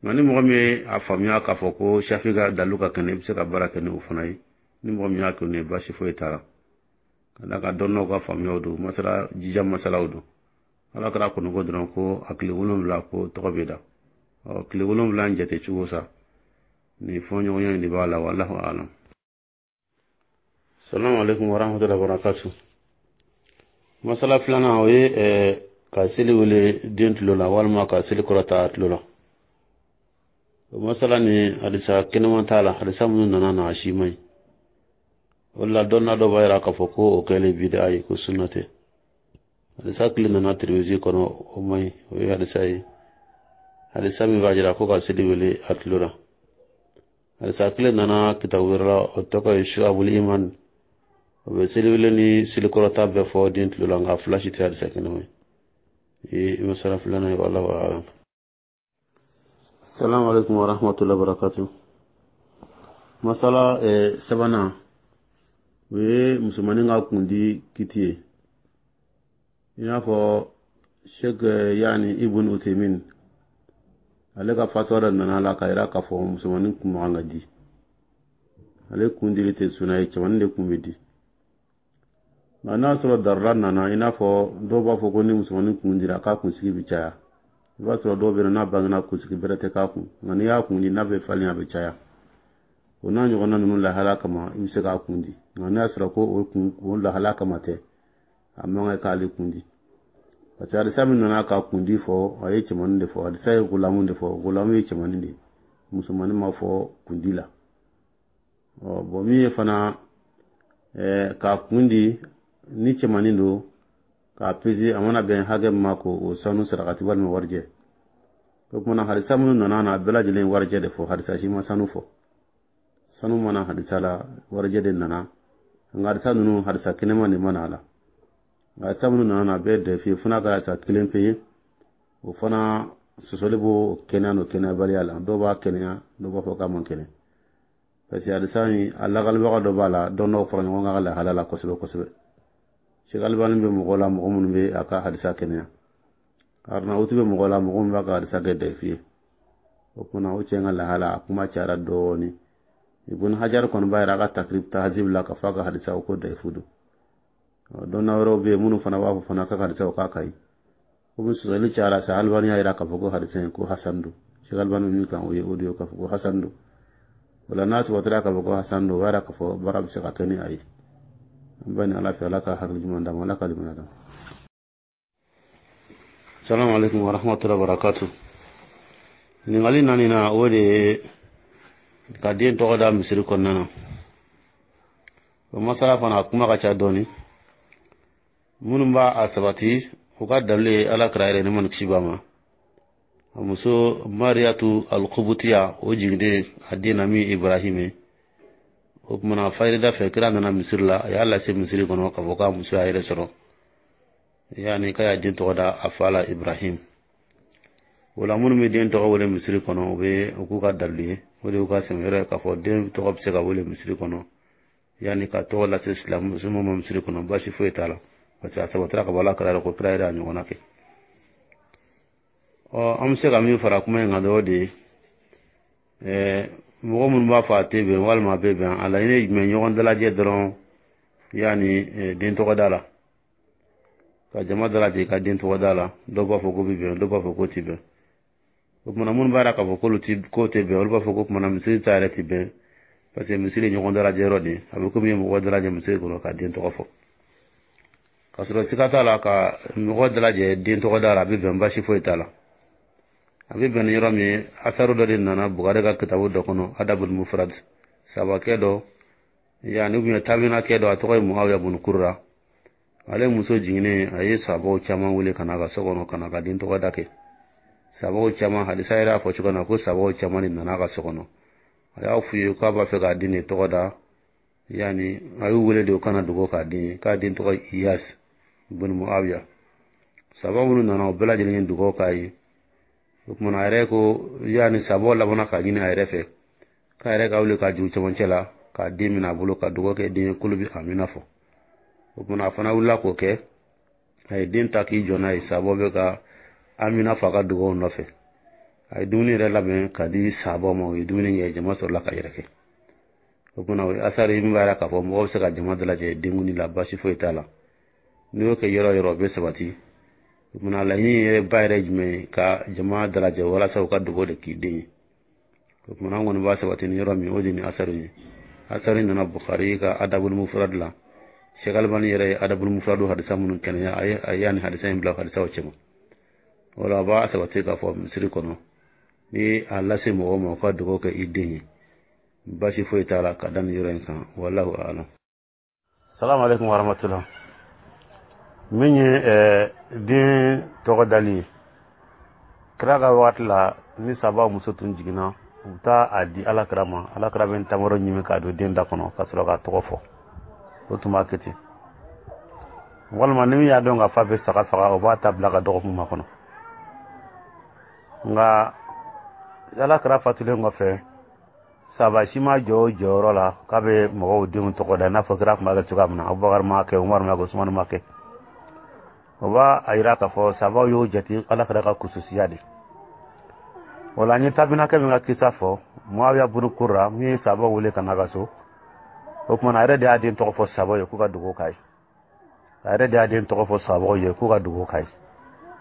Nka ni mɔgɔ min ye a faamuya k'a fɔ ko Shafi ka dalu ka kɛnɛ, i bɛ se ka baara kɛ ni o fana ye. Ni mɔgɔ min y'a kɛ n'o ye, baasi foyi t'a la, ka d'a kan dɔnnaw ka faamuyaw don, masala jija masalaw don. Ala kɛra kɔni ko dɔrɔn ko a tile wolonwula ko tɔgɔ bɛ da. Ɔ tile wolonwula in jate cogo sa, nin fɔɲɔgɔnya in de b'a la. Wallahu alam. Salamu alaikum warahmatullahi wabarakatuh. Masala filanan, o ye ka seli wele den tulo la walima ka seli kɔrɔta a tulo la. O masala ni hadisa kɛnɛman t'a la. Hadisa minnu nana na, a si man ɲi. O de la, dɔnna dɔ b'a yira k'a fɔ ko o kɛlen bida ye, ko sunna tɛ. Hadisa kelen nana Tirimizi kɔnɔ, o man ɲi. O ye hadisa ye, hadisa min b'a jira ko ka seli wele a tulo la. Hadisa kelen nana kitabu wɛrɛ la, o tɔgɔ ye Shu'abul Iman, o bɛ seli wele ni selikɔrɔta bɛɛ fɔ den tulo la, nka fila si tɛ hadisa kɛnɛma ye. Ye masala filanan ye. Wallahu a'lam. Salamu alaikum wa rahmatullahi wa barakatuh. Masala eh, sabanan, o ye musomanin ka kundi kiti ye. I n'a fɔ Sheikh yani Ibn Utaimin, ale ka fatuwa dɔ nana la k'a yira k'a fɔ musomanin kun man ka di, ale kun dili tɛ suna ye, cɛmanin de kun bɛ di. Nka n'a sɔrɔ darura nana, i n'a fɔ dɔw b'a fɔ ko ni musomanin kun dira, k'a kunsigi bɛ caya. I b'a sɔrɔ dɔw bɛ yen, n'a bangena, kunsigi bɛrɛ tɛ k'a kun, nka n'i y'a kun di, n'a bɛ falen, a bɛ caya. O n'a ɲɔgɔnna ninnu lahala kama, i bɛ se k'a kun di. Nka n'a y'a sɔrɔ ko o kun, o lahala kama tɛ, a man kan k'ale kun di, parce que hadisa min nana ka kundi fɔ, a ye cɛmanin de fɔ. Hadisa ye gulamu de fɔ, gulamu ye cɛmanin de ye, musomanin ma fɔ kundi la. Ɔ bɔn, min ye fana ɛɛ k'a kun di, ni cɛmanin don, k'a pese, a mana bɛn hakɛ min ma, ko o sanu sarakati walima warijɛ. O kumana, hadisa minnu nana na, a bɛɛ lajɛlen warijɛ de fɔ, hadisa si ma sanu fɔ. Sanu mana hadisa la, warijɛ de nana. Nka hadisa ninnu, hadisa kɛnɛma de mana a la. Nka hadisa minnu nana na, a bɛɛ dɛfi fo n'a kɛra hadisa kelen pe ye, o fana sɔsɔli b'o kɛnɛya n'o kɛnɛyabaliya la. Dɔw b'a kɛnɛya, dɔw b'a fɔ k'a man kɛnɛ, parce que hadisa in, a lakalibaga dɔ b'a la, dɔn dɔw fara ɲɔgɔn kan ka lahala la kosɛbɛ kosɛbɛ. Sheikh Albani bɛ mɔgɔ la, mɔgɔ minnu bɛ a ka hadisa kɛnɛya. Arnautu bɛ mɔgɔ la, mɔgɔ minnu b'a ka hadisa kɛ dɛfi ye. O kumana, o cɛ ka lahala, a kuma cayara dɔɔni. Ibn Hajar kɔni b'a yira a ka Takrib Tahzib la k'a fɔ a ka hadisa ko dɛfu don. Dɔnna wɛrɛw bɛ yen minnu fana b'a fɔ fana k'a ka hadisa k'a ka ɲi. Komi sɔsɔli cayara sa, Albani y'a yira k'a fɔ ko hadisa in ko hasan don. Sheikh Albani min kan, o ye o de ye, k'a fɔ ko hasan don. O la, n'a sabatira k'a fɔ ko hasan don, o b'a yira k'a fɔ baara bɛ se ka kɛ ni a ye. An bɛ ni Ala fɛ, Ala ka hakili ɲuman d'an ma, Ala ka limaniya d'an ma. Salamu alaikum wa rahmatullahi wa barakatuh. Ɲininkali naani na, o de ye ka den tɔgɔ da misiri kɔnɔna na. O masala fana, a kuma ka ca dɔɔni. Minnu b'a a sabati, u ka dalilu ye Ala kira yɛrɛ, ne ma ni kisi b'a ma, a muso Mariyatu Alkubutiya, o jiginnen a den na min Ibrahim ye. O kumana, fayirida fɛ, kira nana misiri la, a y'a lase misiri kɔnɔ k'a fɔ k'a muso y'a yɛrɛ sɔrɔ, yani k'a y'a den tɔgɔ da a fa la, Ibrahim. O la, minnu bɛ den tɔgɔ wele misiri kɔnɔ, u bɛ u k'u ka dalilu ye. O de y'u ka sɛmɛ yɔrɔ ye k'a fɔ den tɔgɔ bɛ se ka wele misiri kɔnɔ, yanni ka tɔgɔ lase silamɛ ma misiri kɔnɔ, baasi foyi t'a la, parce que a sabatira ka bɔ Ala kira ko kira yɛrɛ y'a ɲɔgɔnna kɛ. Ɔ, an bɛ se ka min fara kuma in kan dɔrɔn de ye, ɛɛ mɔgɔ minnu b'a fɔ a tɛ bɛn walima a bɛ bɛn, a laɲini ye jumɛn? Ɲɔgɔn dalajɛ dɔrɔn, yanni den tɔgɔ da la, ka jama dalajɛ i ka den tɔgɔ da la. Dɔw b'a fɔ ko bɛ bɛn, dɔw b'a fɔ ko tɛ bɛn. O kumana, minnu b'a yira k'a fɔ k'olu ti k'o tɛ bɛn, olu b'a fɔ ko kumana misiri ta yɛrɛ tɛ bɛn, parce que misiri ye ɲɔgɔn dalajɛ yɔrɔ de ye. A bɛ komi i ye mɔgɔ dalajɛ misiri kɔnɔ ka den tɔgɔ fɔ. K'a sɔrɔ siga t'a la, ka mɔgɔ dalajɛ den tɔgɔ da la, a bɛ bɛn, baasi foyi t'a la. A bɛ bɛn ni yɔrɔ min ye, asaru dɔ de nana Bukari ka kitabu dɔ kɔnɔ, Adabul Mufrad. Sabakɛ dɔ, yanni ou bien tabinakɛ dɔ, a tɔgɔ ye Muawiya bun Kurra. Ale muso jiginnen, a ye sabaw caman wele ka na a ka so kɔnɔ ka na ka den tɔgɔ da kɛ. Sabaw caman, hadisa yɛrɛ y'a fɔ cogo min na ko sabaw caman de nana a ka so kɔnɔ. A y'a f'u ye k'a b'a fɛ k'a den de tɔgɔ da, yanni a y'u wele de u kana dogo k'a den ye, k'a den tɔgɔ Iyas bun Muawiya. Saba minnu nana, o bɛɛ lajɛlen ye dugawu k'a ye. O kumana, a yɛrɛ ko, yanni sabaw labanna k'a ɲini a yɛrɛ fɛ k'a yɛrɛ ka wuli k'a juru cɛmancɛ la k'a den minɛ a bolo ka dugawu kɛ den ye, k'olu bɛ amina fɔ. O kumana, a fana wulila k'o kɛ. A ye den ta k'i jɔ n'a ye, sabaw bɛ ka amina fɔ a ka dugawu nɔfɛ. A ye dumuni yɛrɛ labɛn ka di sabaw ma, u ye dumuni kɛ, jama sɔrɔla ka yɛrɛ kɛ. O kumana, o ye asari min b'a yira k'a fɔ mɔgɔw bɛ se ka jama dalajɛ denkundi la, baasi foyi t'a la. N'i y'o kɛ yɔrɔ o yɔrɔ, o bɛ sabati. O kumana, laɲini yɛrɛ ba yɛrɛ jumɛn ye? Ka jama dalajɛ walasa u ka dugawu de k'i den ye. O kumana, an kɔni b'a sabati ni yɔrɔ min, o de ni asari ye. Asari nana Bukhari ka Adabul Mufrad la. Sheikh Albani yɛrɛ ye Adabul Mufrad hadisa minnu kɛnɛya, a ye a y'a ni hadisa in bila hadisaw cɛma. O la, a b'a sabati k'a fɔ misiri kɔnɔ, ni a lase mɔgɔw ma u ka dugawu kɛ i den ye, baasi foyi t'a la ka da nin yɔrɔ in kan. Wallahu a'lam. Salamu alaikum warahmatullah. Min ye den tɔgɔ dali ye, kira ka wagati la, ni saba muso tun jiginna, u bɛ taa a di Ala kira ma. Ala kira bɛ tamaro ɲimi k'a don den da kɔnɔ ka sɔrɔ k'a tɔgɔ fɔ. O tun b'a kɛ ten. Walima ni min y'a dɔn ka fa bɛ saga faga, o b'a ta bila ka dɔgɔkun ma kɔnɔ. Nka Ala kira fatulen kɔfɛ, saba si ma jɔ o jɔyɔrɔ la k'a bɛ mɔgɔw denw tɔgɔ da i n'a fɔ kira tun b'a kɛ cogoya min na. Abubakar ma kɛ, Umaru ma kɛ, Usumani ma kɛ. O b'a a yira k'a fɔ sabaw y'o jate Ala kira ka kususiya de o la. N ye tabinakɛ min ka kisa fɔ, Muawiya bunu Kurra, min ye sabaw wele ka na ka so, o kumana, a yɛrɛ de y'a den tɔgɔ fɔ sabaw ye k'u ka dugawu k'a ye. A yɛrɛ de y'a den tɔgɔ fɔ sabaw ye k'u ka dugawu k'a ye.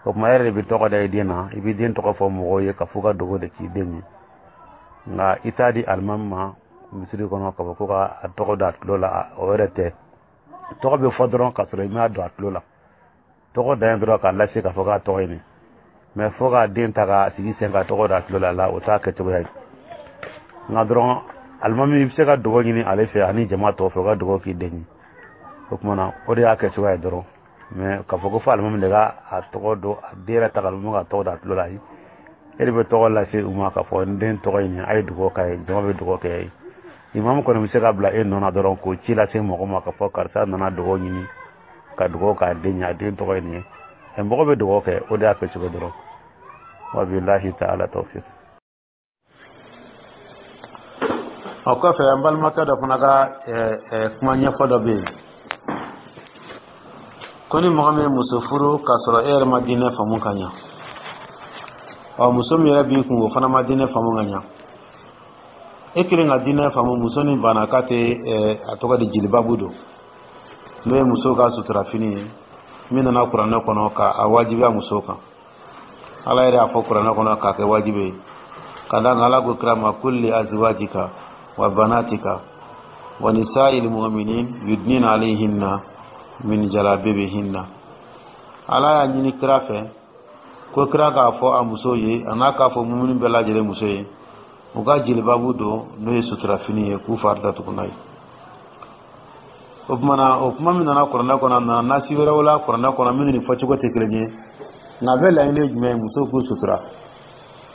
O tuma, e yɛrɛ de bɛ tɔgɔ da i den na, i bɛ den tɔgɔ fɔ mɔgɔw ye ka f'u ka dugawu de k'i den ye. Nka i t'a di alimami ma misiri kɔnɔ k'a fɔ ko ka a tɔgɔ don a tulo la. O yɛrɛ tɛ. Tɔgɔ bɛ fɔ dɔrɔn k'a sɔrɔ i m'a don a tulo la. Tɔgɔ dan ye dɔrɔn k'a lase k'a fɔ k'a tɔgɔ ye nin, mɛ fo k'a den ta k'a sigi sen ka tɔgɔ don a tulo la la, o t'a kɛcogoya ye. Nka dɔrɔn, alimami, i bɛ se ka dugawu ɲini ale fɛ ani jama tɔw fɛ u ka dugawu k'i den ye. O tuma na, o de y'a kɛcogoya ye dɔrɔn. Mɛ k'a fɔ ko fo alimami de ka a tɔgɔ don, a den yɛrɛ ta ka alimami ka tɔgɔ don a tulo la, ayi. E de bɛ tɔgɔ lase u ma k'a fɔ n den tɔgɔ ye nin, a ye dugawu k'a ye. Jama bɛ dugawu kɛ ye. Imamu kɔni bɛ se ka bila e nɔ na dɔrɔn k'o ci lase mɔgɔ ma k'a fɔ karisa nana dugawu ɲini ka dugawu k'a den ye, a den tɔgɔ ye nin ye. Ɛ, mɔgɔ bɛ dugawu kɛ, o de y'a kɛcogo dɔrɔn. Wabilahi taala tawfiq. O kɔfɛ, an balimakɛ dɔ fana ka kuma ɲɛfɔ dɔ bɛ yen ko ni mɔgɔ min ye muso furu k'a sɔrɔ e yɛrɛ ma diinɛ faamu ka ɲa, ɔ, muso min yɛrɛ b'i kun, o fana ma diinɛ faamu ka ɲa, e kelen ka diinɛ faamu, muso ni banna k'a tɛ, a tɔgɔ di, jilibabu don, n'o ye muso ka suturafini ye min nana kuranɛ kɔnɔ k'a wajibiya muso kan. Ala yɛrɛ y'a fɔ kuranɛ kɔnɔ k'a kɛ wajibi ye ka d'a kan Ala ko kira ma: kulli azwajika wa banatika wa nisa'il mu'minin yudnina alayhinna min jalabibihinna. Ala y'a ɲini kira fɛ ko kira k'a fɔ a muso ye, a n'a k'a fɔ mumuni bɛɛ lajɛlen muso ye, u ka jilibabu don, n'o ye suturafini ye, k'u fari datugu n'a ye. O tuma na, o kuma min nana kuranɛ kɔnɔ, a nana nasi wɛrɛw la kuranɛ kɔnɔ minnu ni fɔcogo tɛ kelen ye, nka a bɛ laɲini ye jumɛn ye? Muso k'u sutura.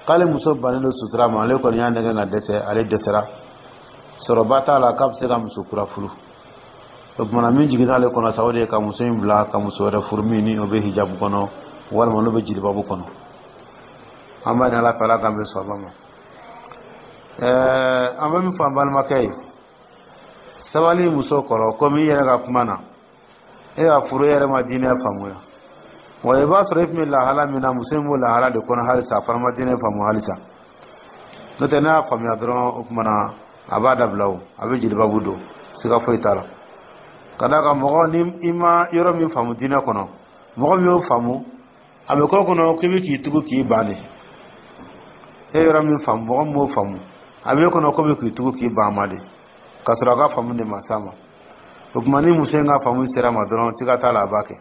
K'ale muso bannen don sutura ma, ale kɔni y'a nɛgɛ ka dɛsɛ, ale dɛsɛra, sɔrɔba t'a la k'a bɛ se ka muso kura furu. O tuma na, min jiginna ale kɔnɔ sa, o de ye ka muso in bila ka muso wɛrɛ furu min ni o bɛ hijabu kɔnɔ walima n'o bɛ jilibabu kɔnɔ. An b'a ɲini Ala fɛ, Ala k'an bɛ sɔn ma. Ɛɛ, an bɛ min fɔ an balimakɛ ye, sabali muso kɔrɔ. Komi i yɛrɛ ka kuma na, e y'a furu, e yɛrɛ ma diinɛ faamuya wa. I b'a sɔrɔ e tun bɛ lahala min na, muso in b'o lahala de kɔnɔ halisa. A fana ma diinɛ faamu halisa. N'o tɛ, n'a y'a faamuya dɔrɔn, o tuma na a b'a dabila, o a bɛ jelibabu don, siga foyi t'a la. Ka d'a kan mɔgɔ ni i ma yɔrɔ min faamu diinɛ kɔnɔ, mɔgɔ min y'o faamu, a bɛ k'o kɔnɔ k'i bɛ k'i tugu k'i ban de. E yɔrɔ min faamu, mɔgɔ min m'o faamu, a b'e kɔnɔ ko bɛ k'i tugu k'i ban ma de, k'a sɔrɔ a ka faamu de ma s'a ma. O tuma, ni muso in ka faamu sera ma dɔrɔn, siga t'a la, a b'a kɛ.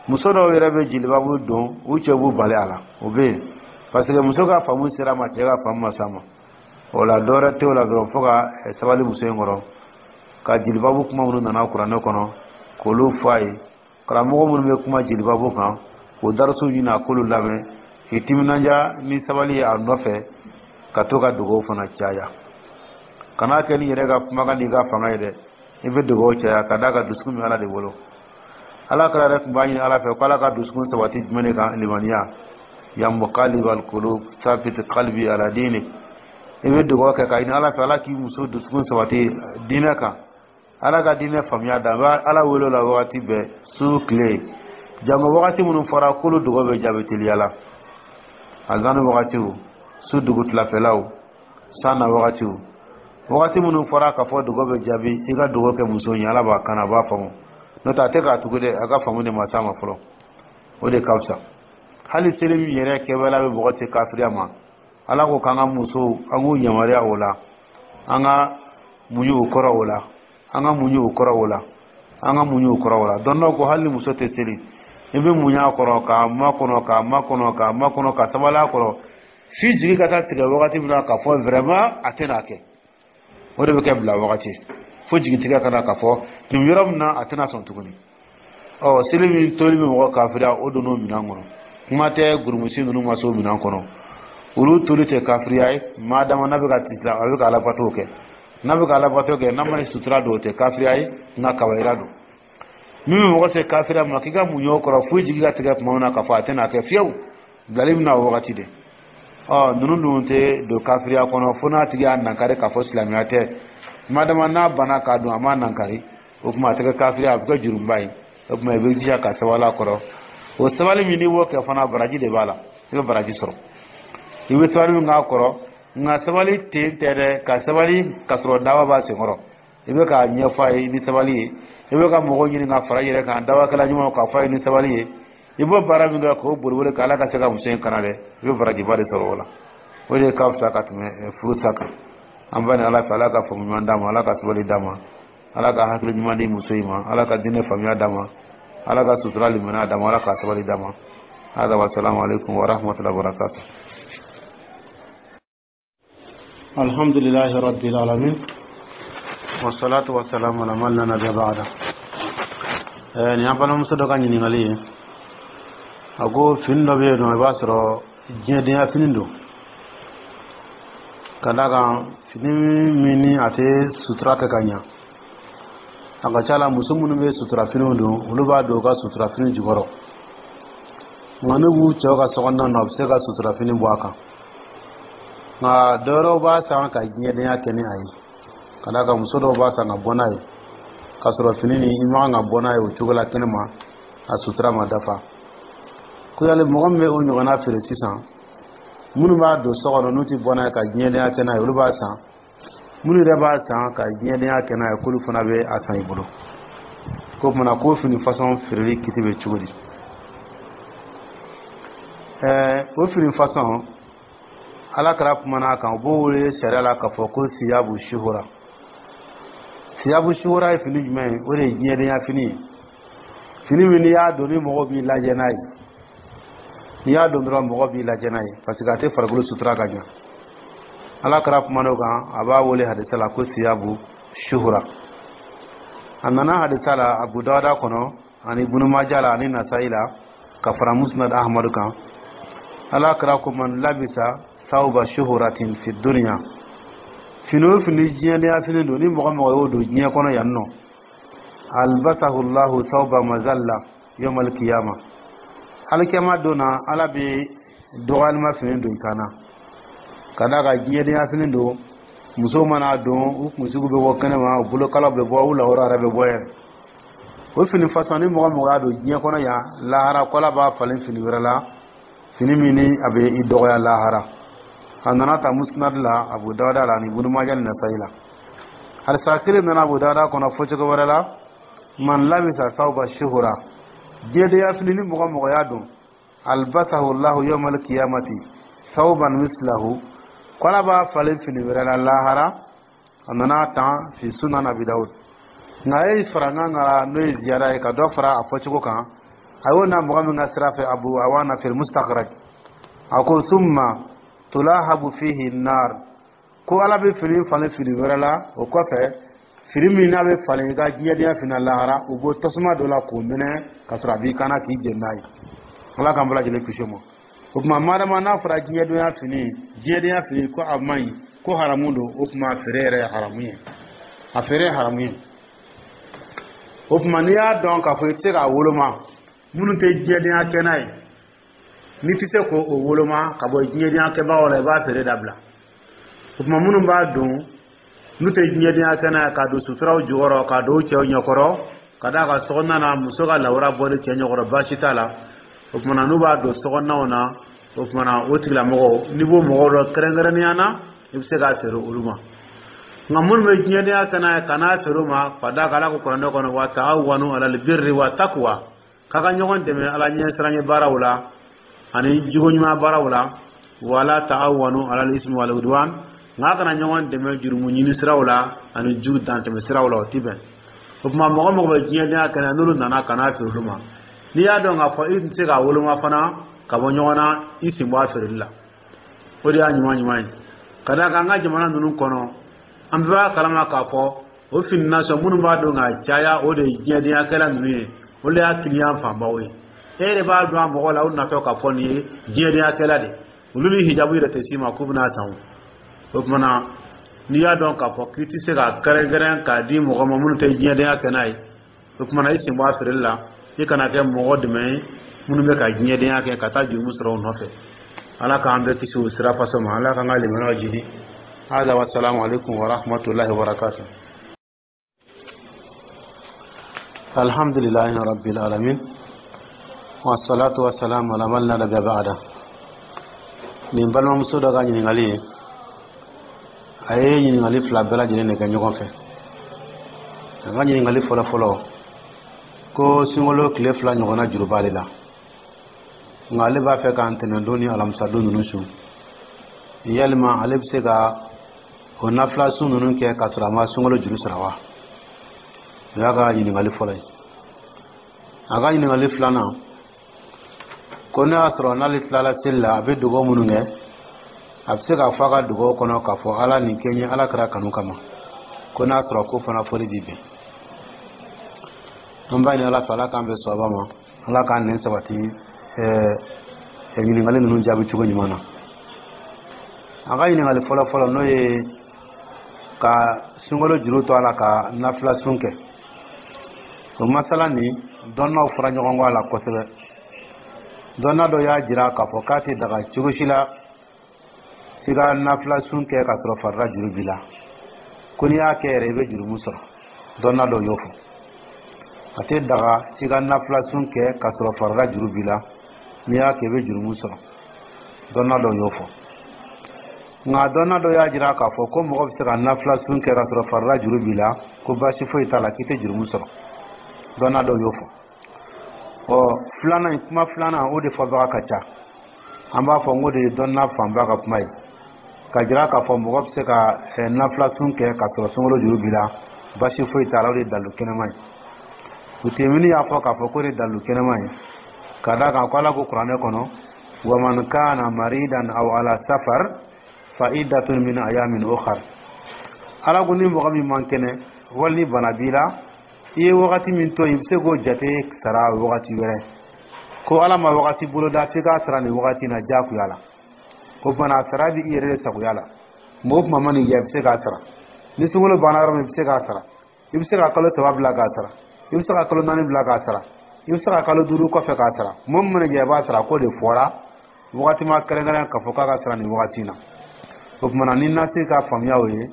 Muso dɔw yɛrɛ bɛ jelibabu don, u cɛ b'u bali a la. O bɛ yen parce que muso ka faamu sera ma, cɛ ka faamu ma s'a ma. O la, dɔwɛrɛ tɛ o la dɔrɔn, fo ka sabali muso in kɔrɔ, ka jelibabu kuma minnu nana kuranɛ kɔnɔ, k'olu fɔ a ye. Karamɔgɔ minnu bɛ kuma jelibabu kan, k'o darasuw ɲini, a k'olu lamɛn, k'i timinanja ni sabali ye a nɔfɛ, ka to ka dugawu fana caya. Kana kɛ ni yɛrɛ ka kumakan n'i ka fanga ye dɛ, i bɛ dugawu caya. Ka d'a kan dusukun bɛ Ala de bolo. Ala kɛra yɛrɛ tun b'a ɲini Ala fɛ ko Ala ka dusukun sabati jumɛn de kan? Limaniya. Ya muqallibal qulub thabbit qalbi ala dinik. I bɛ dugawu kɛ ka ɲini Ala fɛ, Ala k'i muso dusukun sabati diinɛ kan, Ala ka diinɛ faamuya da. N bɛ Ala wele o la wagati bɛɛ, su tile. Jango wagati minnu fɔra k'olu dugawu bɛ jaabi teliya la: azani wagatiw, su dugutilafɛlaw, san na wagatiw, wagati minnu fɔra k'a fɔ dugawu bɛ jaabi. I ka dugawu kɛ muso ye, Ala b'a kan, a b'a faamu. N'o tɛ, a tɛ k'a tugu dɛ, a ka faamu de ma s'a ma fɔlɔ. O de ka fisa. Hali seli min yɛrɛ kɛwale bɛ mɔgɔ se kafiriya ma, Ala ko k'an ka musow, an k'u yamaruya o la, an ka muɲu u kɔrɔ o la, an ka muɲu u kɔrɔ o la, an ka muɲu u kɔrɔ o la. Dɔnniyaw ko hali ni muso tɛ seli, i bɛ muɲu a kɔrɔ, k'a makɔnɔ, k'a makɔnɔ, k'a makɔnɔ, ka sabali a kɔrɔ, f'i jigi ka taa tigɛ wagati min na k'a fɔ vraiment a tɛna kɛ. O de bɛ kɛ bila wagati, fo jigitigɛ ka na k'a fɔ nin yɔrɔ min na, a tɛna sɔn tuguni. Ɔ, seli min toli bɛ mɔgɔ kafiriya, o donn'o minɛn kɔnɔ. Kuma tɛ gurumusi ninnu ma se o minɛn kɔnɔ. Olu toli tɛ kafiriya ye, maa dama n'a bɛ ka tisila, a bɛ ka alabato kɛ, n'a bɛ ka alabato kɛ, n'a ma sutura don, o tɛ kafiriya ye, nka kabayira don. Min bɛ mɔgɔ se kafiriya ma, k'i ka muɲu o kɔrɔ fo jigi ka tigɛ tuma min na k'a fɔ a tɛna kɛ fiyewu, bilali bɛna o wagati de. Ɔ, ninnu dun tɛ don kafiriya kɔnɔ fo n'a tigi y'a nankari k'a fɔ silamɛya tɛ. Maa dama n'a banna k'a dun, a ma nankari, o tuma a tɛ kɛ kafiriya, a bɛ kɛ jurumuba ye. O tuma, i bɛ jija ka sabali a kɔrɔ. O sabali min n'i b'o kɛ fana, baraji de b'a la, i bɛ baraji sɔrɔ i bɛ sabali min k'a kɔrɔ. Nka sabali ten tɛ dɛ, ka sabali ka sɔrɔ dawa b'a senkɔrɔ. I bɛ k'a ɲɛfɔ a ye ni sabali ye, i bɛ ka mɔgɔw ɲini ka fara i yɛrɛ kan, dawakɛla ɲumanw, k'a fɔ a ye ni sabali ye. I b'o baara min kɛ k'o boliboli k'Ala ka se ka muso in kana dɛ, i bɛ barajiba de sɔrɔ o la. O de ka fisa ka tɛmɛ furusa kan. An b'a ni Ala fɛ, Ala ka faamu ɲuman d'a ma, Ala ka sabali d'a ma, Ala ka hakili ɲuman di muso in ma, Ala ka diinɛ faamuya d'a ma, Ala ka sutura limaniya d'a ma, Ala ka sabali d'a ma. Hada wa salamu alaikum wa rahmatullahi wa barakatuh. Alhamdulillahi rabbil alamin wassalatu wassalamu ala man la nabiyya ba'da. Eh, nin y'an balimamuso dɔ ka ɲininkali ye. A ko fini dɔ bɛ yen nɔ, i b'a sɔrɔ diɲɛdenya fini don, ka d'a kan fini min ni a tɛ sutura kɛ ka ɲa. A ka ca la, muso minnu bɛ sutura finiw don, olu b'a don u ka sutura fini jukɔrɔ. Nka n'u b'u cɛw ka sokɔnɔna na, u bɛ se ka sutura fini bɔ a kan. Nka dɔwɛrɛw b'a san ka diɲɛdenya kɛ ni a ye, ka d'a kan muso dɔw b'a san ka bɔ n'a ye, k'a sɔrɔ fini nin, i man kan ka bɔ n'a ye o cogo la kɛnɛ ma, a sutura ma dafa. Ko yali mɔgɔ min bɛ o ɲɔgɔnna feere sisan, minnu b'a don so kɔnɔ n'u tɛ bɔ n'a ye ka diɲɛdenya kɛ n'a ye, olu b'a san. Minnu yɛrɛ b'a san ka diɲɛdenya kɛ n'a ye, k'olu fana bɛ a san i bolo. K'o kumana k'o fini fasɔn feereli kiti bɛ cogo di? Ɛɛ, o fini fasɔn, Ala kɛra kumana a kan, u b'o wele sariya la k'a fɔ ko siyabu shuhura. Siyabu shuhura ye fini jumɛn ye? O de ye diɲɛdenya fini ye, fini min n'i y'a don, ni mɔgɔw b'i lajɛ n'a ye. N'i y'a don dɔrɔn, mɔgɔ b'i lajɛ n'a ye, parce que a tɛ farikolo sutura ka ɲa. Ala kɛra kumana o kan, a b'a wele hadisa la ko siyabu shuhura. A nana hadisa la Abu Dawuda kɔnɔ ani Ibunu Maja la ani Nasayi la, ka fara Musnad Ahmadu kan. Ala kɛra ko man labisa sawba shuhuratin fi dunya, fini o fini diɲɛdenya fini don, ni mɔgɔ mɔgɔ y'o don diɲɛ kɔnɔ yan nɔ, albasahu llahu sawba mazalla yawmal qiyama, alikiyama don na, Ala bɛ dɔgɔyalima fini don i kan na, ka d'a kan diɲɛdenya fini don. Musow mana don, u kunsigiw bɛ bɔ kɛnɛma, u bolokalaw bɛ bɔ, u lawura yɛrɛ bɛ bɔ yɛrɛ. O fini fasɔn ni mɔgɔ mɔgɔ y'a don diɲɛ kɔnɔ yan, lahara ko Ala b'a falen fini wɛrɛ la, fini min ni a bɛ i dɔgɔya lahara. A nana ta Musnad la, Abu Dawuda la, ani Ibnu Maja ni Nasayi la. Hadisa kelen nana Abu Dawuda kɔnɔ fɔcogo wɛrɛ la: man labisa sawba shuhura, diɲɛdenya fini ni mɔgɔ mɔgɔ y'a don, albasahu Allahu yawmal qiyamati thawban mislahu, ko Ala b'a falen fini wɛrɛ la lahara. A nana tan fi Sunan Abi Dawud. Nka a ye farankan kan, n'o ye ziyara ye, ka dɔ fara a fɔcogo kan. A y'o na mɔgɔ min ka sira fɛ, Abu Awana fil Mustakhraj, a ko: summa tulahabu fihi nar, ko Ala bɛ fini falen fini wɛrɛ la o kɔfɛ, fini min n'a bɛ falen i ka diɲɛdenya fini lahara, u bɔ tasuma dɔ la k'o minɛ ka sɔrɔ a b'i kana k'i jeni n'a ye. Ala k'an bɛɛ lajɛlen kisi o ma. O tuma, madama n'a fɔra diɲɛdenya fini, diɲɛdenya fini ko a man ɲi, ko haramu don, o tuma feere yɛrɛ ye haramu ye, a feere ye haramu ye. O tuma, n'i y'a dɔn k'a fɔ i tɛ se k'a woloma, minnu tɛ diɲɛdenya kɛ n'a ye, n'i tɛ se k'o woloma ka bɔ diɲɛdenya kɛbagaw la, i b'a feere dabila. O tuma, minnu b'a don n'u tɛ diɲɛdenya kɛ n'a ye, k'a don suturaw jukɔrɔ, k'a don cɛw ɲɛkɔrɔ, ka d'a kan sokɔnɔna na, muso ka lawura bɔli cɛ ɲɛkɔrɔ, baasi t'a la. O tuma na, n'u b'a don sokɔnɔnaw na, o tuma na, o tigilamɔgɔw, n'i b'o mɔgɔw dɔn kɛrɛnkɛrɛnnenya na, i bɛ se k'a feere olu ma. Nka minnu bɛ diɲɛdenya kɛ n'a ye, ka n'a feere o ma, ka d'a kan Ala ko kuranɛ kɔnɔ: wa ta'awanu alal birri wa taqwa, k'a ka ɲɔgɔn dɛmɛ Ala ɲɛsiranɲɛ baaraw la ani jogo ɲuman baaraw la, wala ta'awanu alal ismi wal udwan, nka a kana ɲɔgɔn dɛmɛ jurumu ɲini siraw la ani ju dantɛmɛ siraw la, o ti bɛn. O tuma, mɔgɔ mɔgɔ bɛ diɲɛdenya kɛ n'a n'olu nana ka n'a feere olu ma, n'i y'a dɔn k'a fɔ i tɛ se k'a woloma fana ka bɔ ɲɔgɔn na, i sen bɔ a feereli la, o de y'a ɲuman ɲuman ye. Ka d'a kan an ka jamana ninnu kɔnɔ, an bɛɛ b'a kalama k'a fɔ o fini nasɔn minnu b'a dɔn k'a caya, o de ye diɲɛdenyakɛla ninnu ye, olu de y'a kiliyan fanbaw ye. E yɛrɛ b'a dɔn a mɔgɔ la, o natɔ k'a fɔ nin ye diɲɛdenyakɛla de, olu ni hijabu yɛrɛ tɛ s'i ma k'u bɛna san. O tuma na, n'i y'a dɔn k'a fɔ k'i tɛ se ka kɛrɛnkɛrɛn k'a di mɔgɔ ma minnu tɛ diɲɛdenya kɛ n'a ye, o tuma na, i sen bɔ a feereli la, i kana kɛ mɔgɔ dɛmɛ ye minnu bɛ ka diɲɛdenya kɛ ka taa jurumu sɔrɔ u nɔfɛ. Ala k'an bɛɛ kisi o sira faso ma. Ala k'an ka limaniyaw jidi. Hada wa salamu alaikum wa rahmatullahi wa barakatuh. Alhamdulillahi rabbil alamin wa salatu wa salam ala man la nabiyya ba'da. Nin balimamuso dɔ ka ɲininkali ye, a ye ɲininkali fila bɛɛ lajɛlen de kɛ ɲɔgɔn fɛ. A ka ɲininkali fɔlɔ fɔlɔ ko sunkalo tile fila ɲɔgɔnna juru b'ale la, nka ale b'a fɛ ka ntɛnɛndon ni alamisadon ninnu sun. Yalima ale bɛ se ka o nafila sun ninnu kɛ k'a sɔrɔ a ma sunkalo juru sara wa? O y'a ka ɲininkali fɔlɔ ye. A ka ɲininkali filanan ko ne y'a sɔrɔ n'ale tilala seli la, a bɛ dugawu minnu kɛ, a bɛ se k'a fɔ a ka dugawu kɔnɔ k'a fɔ Ala nin kɛ n ye Ala kɛra kanu kama, ko n'a sɔrɔ ko fana fɔli b'i bɛn. An b'a ɲini Ala fɛ, Ala k'an bɛn sɔba ma, Ala k'an nɛn sabati ɛɛ ɲininkali ninnu jaabi cogo ɲuman na. A ka ɲininkali fɔlɔ fɔlɔ, n'o ye ka sunkalo juru to a la ka nafila sun kɛ, o masala nin, dɔnnaw fɔra ɲɔgɔn kɔ a la kosɛbɛ. Dɔnna dɔ y'a jira k'a fɔ k'a tɛ daga cogo si la i ka nafila sun kɛ k'a sɔrɔ farida juru b'i la, ko n'i y'a kɛ yɛrɛ, i bɛ jurumu sɔrɔ. Dɔnna dɔw y'o fɔ, a tɛ daga i ka nafila sun kɛ k'a sɔrɔ farida juru b'i la, n'i y'a kɛ, i bɛ jurumu sɔrɔ. Dɔnna dɔw y'o fɔ. Nka dɔnna dɔ y'a jira k'a fɔ ko mɔgɔ bɛ se ka nafila sun kɛ k'a sɔrɔ farida juru b'i la, ko baasi foyi t'a la, k'i tɛ jurumu sɔrɔ. Dɔnna dɔw y'o fɔ. Ɔ, filanan in, kuma filanan, o de fɔbaga ka ca. An b'a fɔ n ko de ye dɔnna fanba ka kuma ye, ka jira k'a fɔ mɔgɔ bɛ se ka nafila sun kɛ k'a sɔrɔ sunkalo juru b'i la, baasi foyi t'a la, o de ye dalilu kɛnɛma ye. Utemini y'a fɔ k'a fɔ k'o de ye dalilu kɛnɛma ye, ka d'a kan ko Ala ko kuranɛ kɔnɔ: wa man kana maridan aw ala safar fa iddatun min ayamin ukhar. Ala ko ni mɔgɔ min man kɛnɛ wali ni bana b'i la, i ye wagati min to yen, i bɛ se k'o jate sara wagati wɛrɛ. Ko Ala ma wagati boloda f'i k'a sara nin wagati in na diyagoya la. O tuma, a sara bɛ i yɛrɛ de sagoya la. Mɔgɔ o tuma ma nin kɛ, i bɛ se k'a sara. Ni sunkalo banna yɔrɔ min, i bɛ se k'a sara. I bɛ se ka kalo saba bila k'a sara, i bɛ se ka kalo naani bila k'a sara, i bɛ se ka kalo duuru kɔfɛ k'a sara. Mɔgɔ min mana jɛ, i b'a sara. K'o de fɔra, wagati ma kɛrɛnkɛrɛn k'a fɔ k'a ka sara nin wagati in na. O tuma na, ni nasi ka faamuya o ye.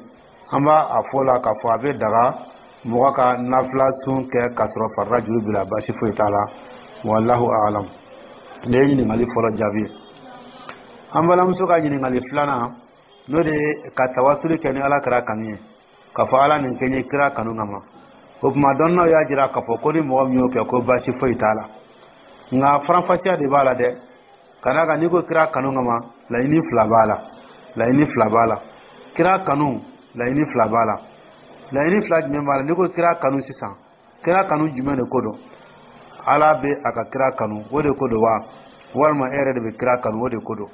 An b'a a fɔ la k'a fɔ a bɛ daga mɔgɔ ka nafila sun kɛ k'a sɔrɔ farida juru b'i la, baasi foyi t'a la. Wallahu a'lam. Nin ye ɲininkali fɔlɔ jaabi ye. An balimamuso ka ɲininkali filanan, n'o de ye ka tawasuli kɛ ni Ala kira kanu ye, k'a fɔ Ala nin kɛ n ye kira kanu kama. O tuma, dɔnniyaw y'a jira k'a fɔ ko ni mɔgɔ min y'o kɛ, ko baasi foyi t'a la. Nka faranfasiya de b'a la dɛ, ka d'a kan n'i ko kira kanu kama, laɲini fila b'a la, laɲini fila b'a la. Kira kanu, laɲini fila b'a la. Laɲini fila jumɛn b'a la? N'i ko kira kanu sisan, kira kanu jumɛn de ko don? Ala bɛ a ka kira kanu, o de ko don wa, walima e yɛrɛ de bɛ kira kanu, o de ko don?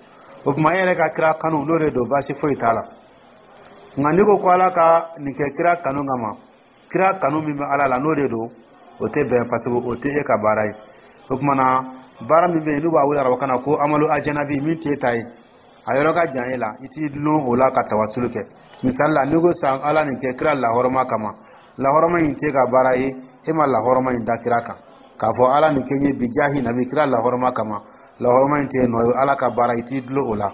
O tuma, e yɛrɛ ka kira kanu, n'o de don, baasi foyi t'a la. Nka n'i ko ko Ala ka nin kɛ kira kanu kama, kira kanu min bɛ Ala la, n'o de don, o tɛ bɛn, parce que o tɛ e ka baara ye. O tuma na, baara min bɛ yen n'u b'a wele arabukan na ko amalu ajanabi, min t'e ta ye, a yɔrɔ ka jan e la, i t'i dulon o la ka tawasulu kɛ. Misali la, n'i ko sisan Ala nin kɛ kira lahɔrɔma kama, lahɔrɔma in t'e ka baara ye, e ma lahɔrɔma in da kira kan. K'a fɔ Ala nin kɛ n ye bijahi nabi, kira lahɔrɔma kama, lahɔrɔma in t'e nɔ ye, Ala ka baara, i t'i dulon o la.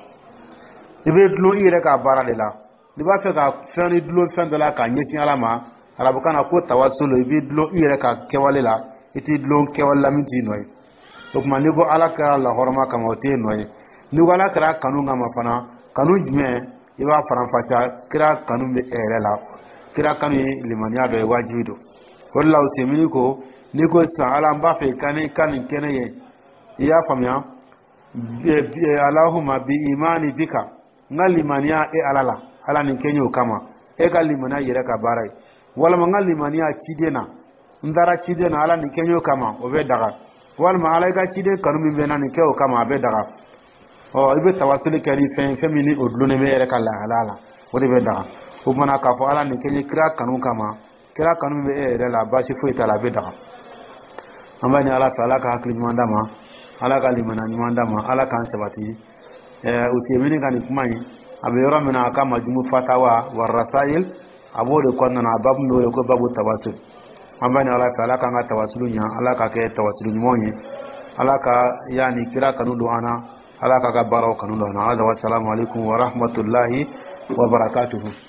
I bɛ dulon i yɛrɛ ka baara de la. N'i b'a fɛ ka fɛn ni dulon fɛn dɔ la k'a ɲɛsin Ala ma, arabukan na ko tawasulu, i b'i dulon i yɛrɛ ka kɛwale la, i t'i dulon kɛwale la min t'i nɔ ye. O tuma, n'i ko Ala kɛra lahɔrɔma kama, o t'e nɔ ye. N'i ko Ala kɛra kanu kama fana, kanu jumɛn? I b'a faranfasiya. Kira kanu bɛ e yɛrɛ la. Kira kanu ye limaniya dɔ ye, wajibi don. O de la, Usemini ko n'i ko sisan Ala, n b'a fɛ i ka ni ka nin kɛ ne ye, i y'a faamuya, Alahuma bi imani bika, n ka limaniya e Ala la, Ala nin kɛ n ye o kama, e ka limaniya yɛrɛ ka baara ye, walima n ka limaniya ciden na, n taara ciden na, Ala nin kɛ n ye o kama, o bɛ daga. Walima Ala, i ka ciden kanu min bɛ n na, nin kɛ o kama, a bɛ daga. Ɔ, i bɛ tawasuli kɛ ni fɛn fɛn min ni o dulonnen bɛ e yɛrɛ ka lahalaya la, o de bɛ daga. O kumana, k'a fɔ Ala nin kɛ n ye kira kanu kama, kira kanu min bɛ e yɛrɛ la, baasi foyi t'a la, a bɛ daga. An b'a ɲini Ala fɛ, Ala ka hakili ɲuman d'a ma, Ala ka limaniya ɲuman d'a ma, Ala k'an sabati. Ɛɛ Usemini ka nin kuma in, a bɛ yɔrɔ min na, a ka Majumu Fatawa wa Rasail, a b'o de kɔnɔna na, a babu min bɛ wele ko babu tawasul. An b'a ɲini Ala fɛ, Ala k'an ka tawasulu ɲa, Ala ka kɛ tawasulu ɲumanw ye, Ala ka yaani kira kanu don an na, Ala k'a ka baaraw kanu don an na. Hada, wasalamu alaikum wa rahmatullahi wa barakatuhu.